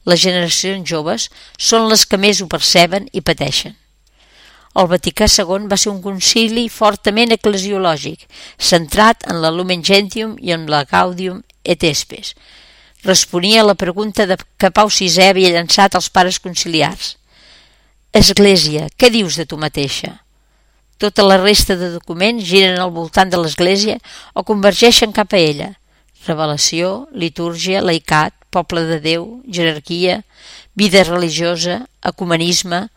Les generacions joves són les que més ho perceben i pateixen. El Vaticà II va ser un concili fortament eclesiològic, centrat en la Lumen Gentium i en la Gaudium et Spes. Responia a la pregunta que Pau VI havia llançat als pares conciliars. Església, què dius de tu mateixa? Tota la resta de documents giren al voltant de l'Església o convergeixen cap a ella. Revelació, litúrgia, laicat, poble de Déu, jerarquia, vida religiosa, ecumenisme,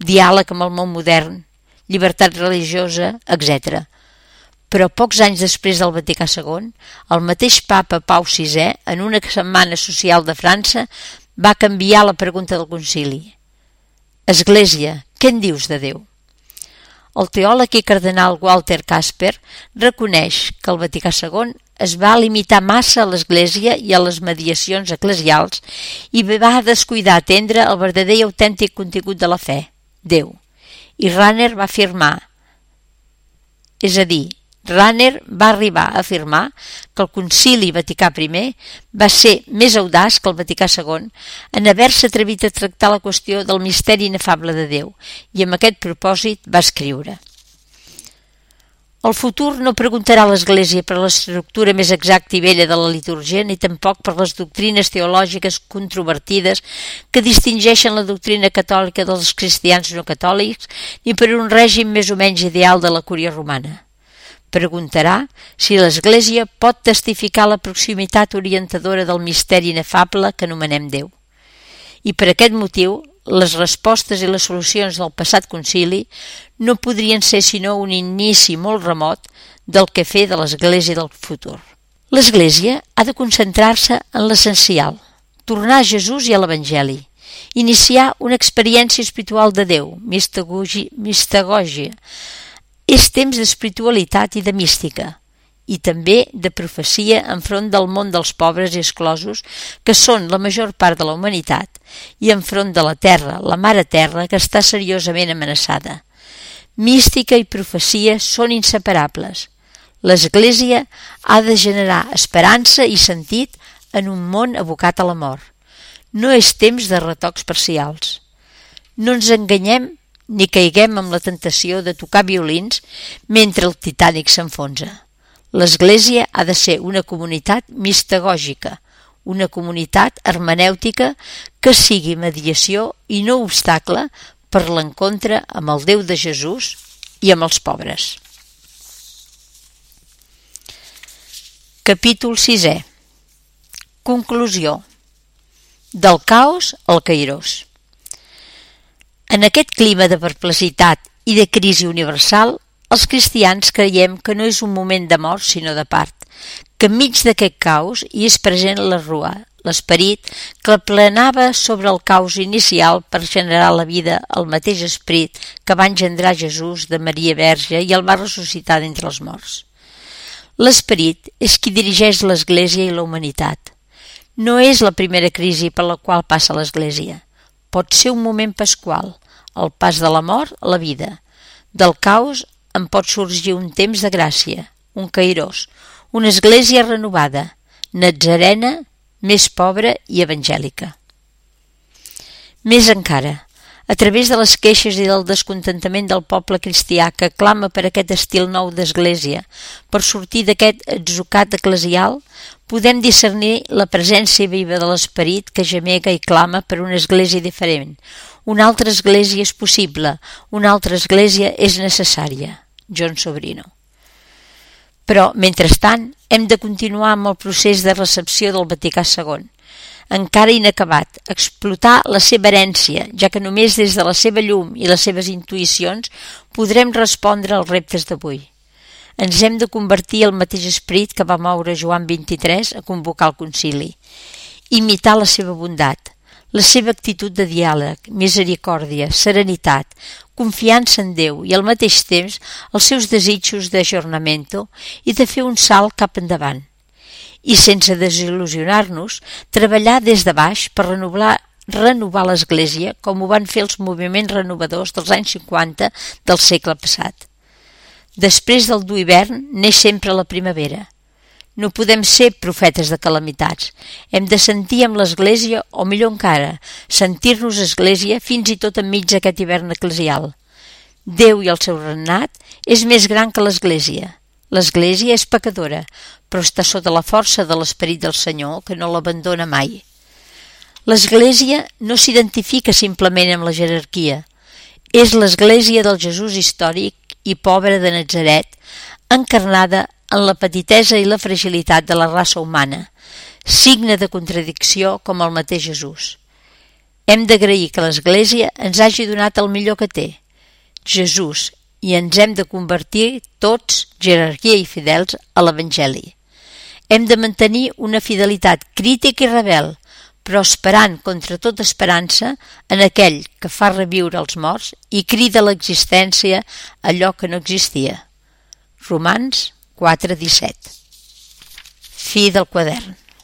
diàleg amb el món modern, llibertat religiosa, etc. Però pocs anys després del Vaticà II, el mateix papa Pau VI, en una setmana social de França, va canviar la pregunta del concili. Església, què en dius de Déu? El teòleg i cardenal Walter Kasper reconeix que el Vaticà II es va limitar massa a l'Església i a les mediacions eclesials i va descuidar atendre el verdader i autèntic contingut de la fe, Déu. I Rahner va afirmar, Rahner va arribar a afirmar que el Concili Vaticà I va ser més audaç que el Vaticà II en haver-se atrevit a tractar la qüestió del misteri inefable de Déu i amb aquest propòsit va escriure: El futur no preguntarà a l'Església per l'estructura més exacta i vella de la liturgia ni tampoc per les doctrines teològiques controvertides que distingeixen la doctrina catòlica dels cristians no catòlics ni per un règim més o menys ideal de la Cúria Romana. preguntarà si l'Església pot testificar la proximitat orientadora del misteri inefable que anomenem Déu. I per aquest motiu, les respostes i les solucions del passat concili no podrien ser sinó un inici molt remot del que fer de l'Església del futur. L'Església ha de concentrar-se en l'essencial, tornar a Jesús i a l'Evangeli, iniciar una experiència espiritual de Déu, mistagògia. És temps d'espiritualitat i de mística, i també de profecia enfront del món dels pobres i exclosos, que són la major part de la humanitat, i enfront de la terra, la mare terra, que està seriosament amenaçada. Mística i profecia són inseparables. L'Església ha de generar esperança i sentit en un món abocat a la mort. No és temps de retocs parcials. No ens enganyem ni caiguem amb la tentació de tocar violins mentre el Titànic s'enfonsa. L'Església ha de ser una comunitat mistagògica, una comunitat hermenèutica que sigui mediació i no obstacle per l'encontre amb el Déu de Jesús i amb els pobres. Capítol 6è. Conclusió. Del caos al cairós. En aquest clima de perplexitat i de crisi universal, els cristians creiem que no és un moment de mort sinó de part, que enmig d'aquest caos hi és present la rua, l'esperit que planava sobre el caos inicial per generar la vida al mateix esperit que va engendrar Jesús de Maria Verge i el va ressuscitar d'entre els morts. L'esperit és qui dirigeix l'Església i la humanitat. No és la primera crisi per la qual passa l'Església. Pot ser un moment pasqual, el pas de la mort a la vida. Del caos en pot sorgir un temps de gràcia, un cairós, una església renovada, natzarena, més pobra i evangèlica. Més encara, a través de les queixes i del descontentament del poble cristià que clama per aquest estil nou d'església, per sortir d'aquest atzucat eclesial, podem discernir la presència viva de l'esperit que gemega i clama per una església diferent. Una altra església és possible, una altra església és necessària. John Sobrino. Però, mentrestant, hem de continuar amb el procés de recepció del Vaticà II, encara inacabat, explotar la seva herència, ja que només des de la seva llum i les seves intuïcions podrem respondre als reptes d'avui. Ens hem de convertir al mateix esperit que va moure Joan XXIII a convocar el concili, imitar la seva bondat, la seva actitud de diàleg, misericòrdia, serenitat, confiança en Déu i al mateix temps els seus desitjos d'ajornamento i de fer un salt cap endavant. I sense desil·lusionar-nos, treballar des de baix per renovar l'Església com ho van fer els moviments renovadors dels anys 50 del segle passat. Després del dur hivern neix sempre la primavera. No podem ser profetes de calamitats. Hem de sentir amb l'Església, o millor encara, sentir-nos Església fins i tot enmig d'aquest hivern eclesial. Déu i el seu regnat és més gran que l'Església. L'Església és pecadora, però està sota la força de l'Esperit del Senyor, que no l'abandona mai. L'Església no s'identifica simplement amb la jerarquia. És l'Església del Jesús històric i pobre de Natzaret, encarnada en la petitesa i la fragilitat de la raça humana, signe de contradicció com el mateix Jesús. Hem d'agrair que l'Església ens hagi donat el millor que té, Jesús, i ens hem de convertir tots, jerarquia i fidels, a l'Evangeli. Hem de mantenir una fidelitat crítica i rebel, però esperant contra tota esperança en aquell que fa reviure els morts i crida a l'existència allò que no existia. Romans 4:17. Fi del quadern.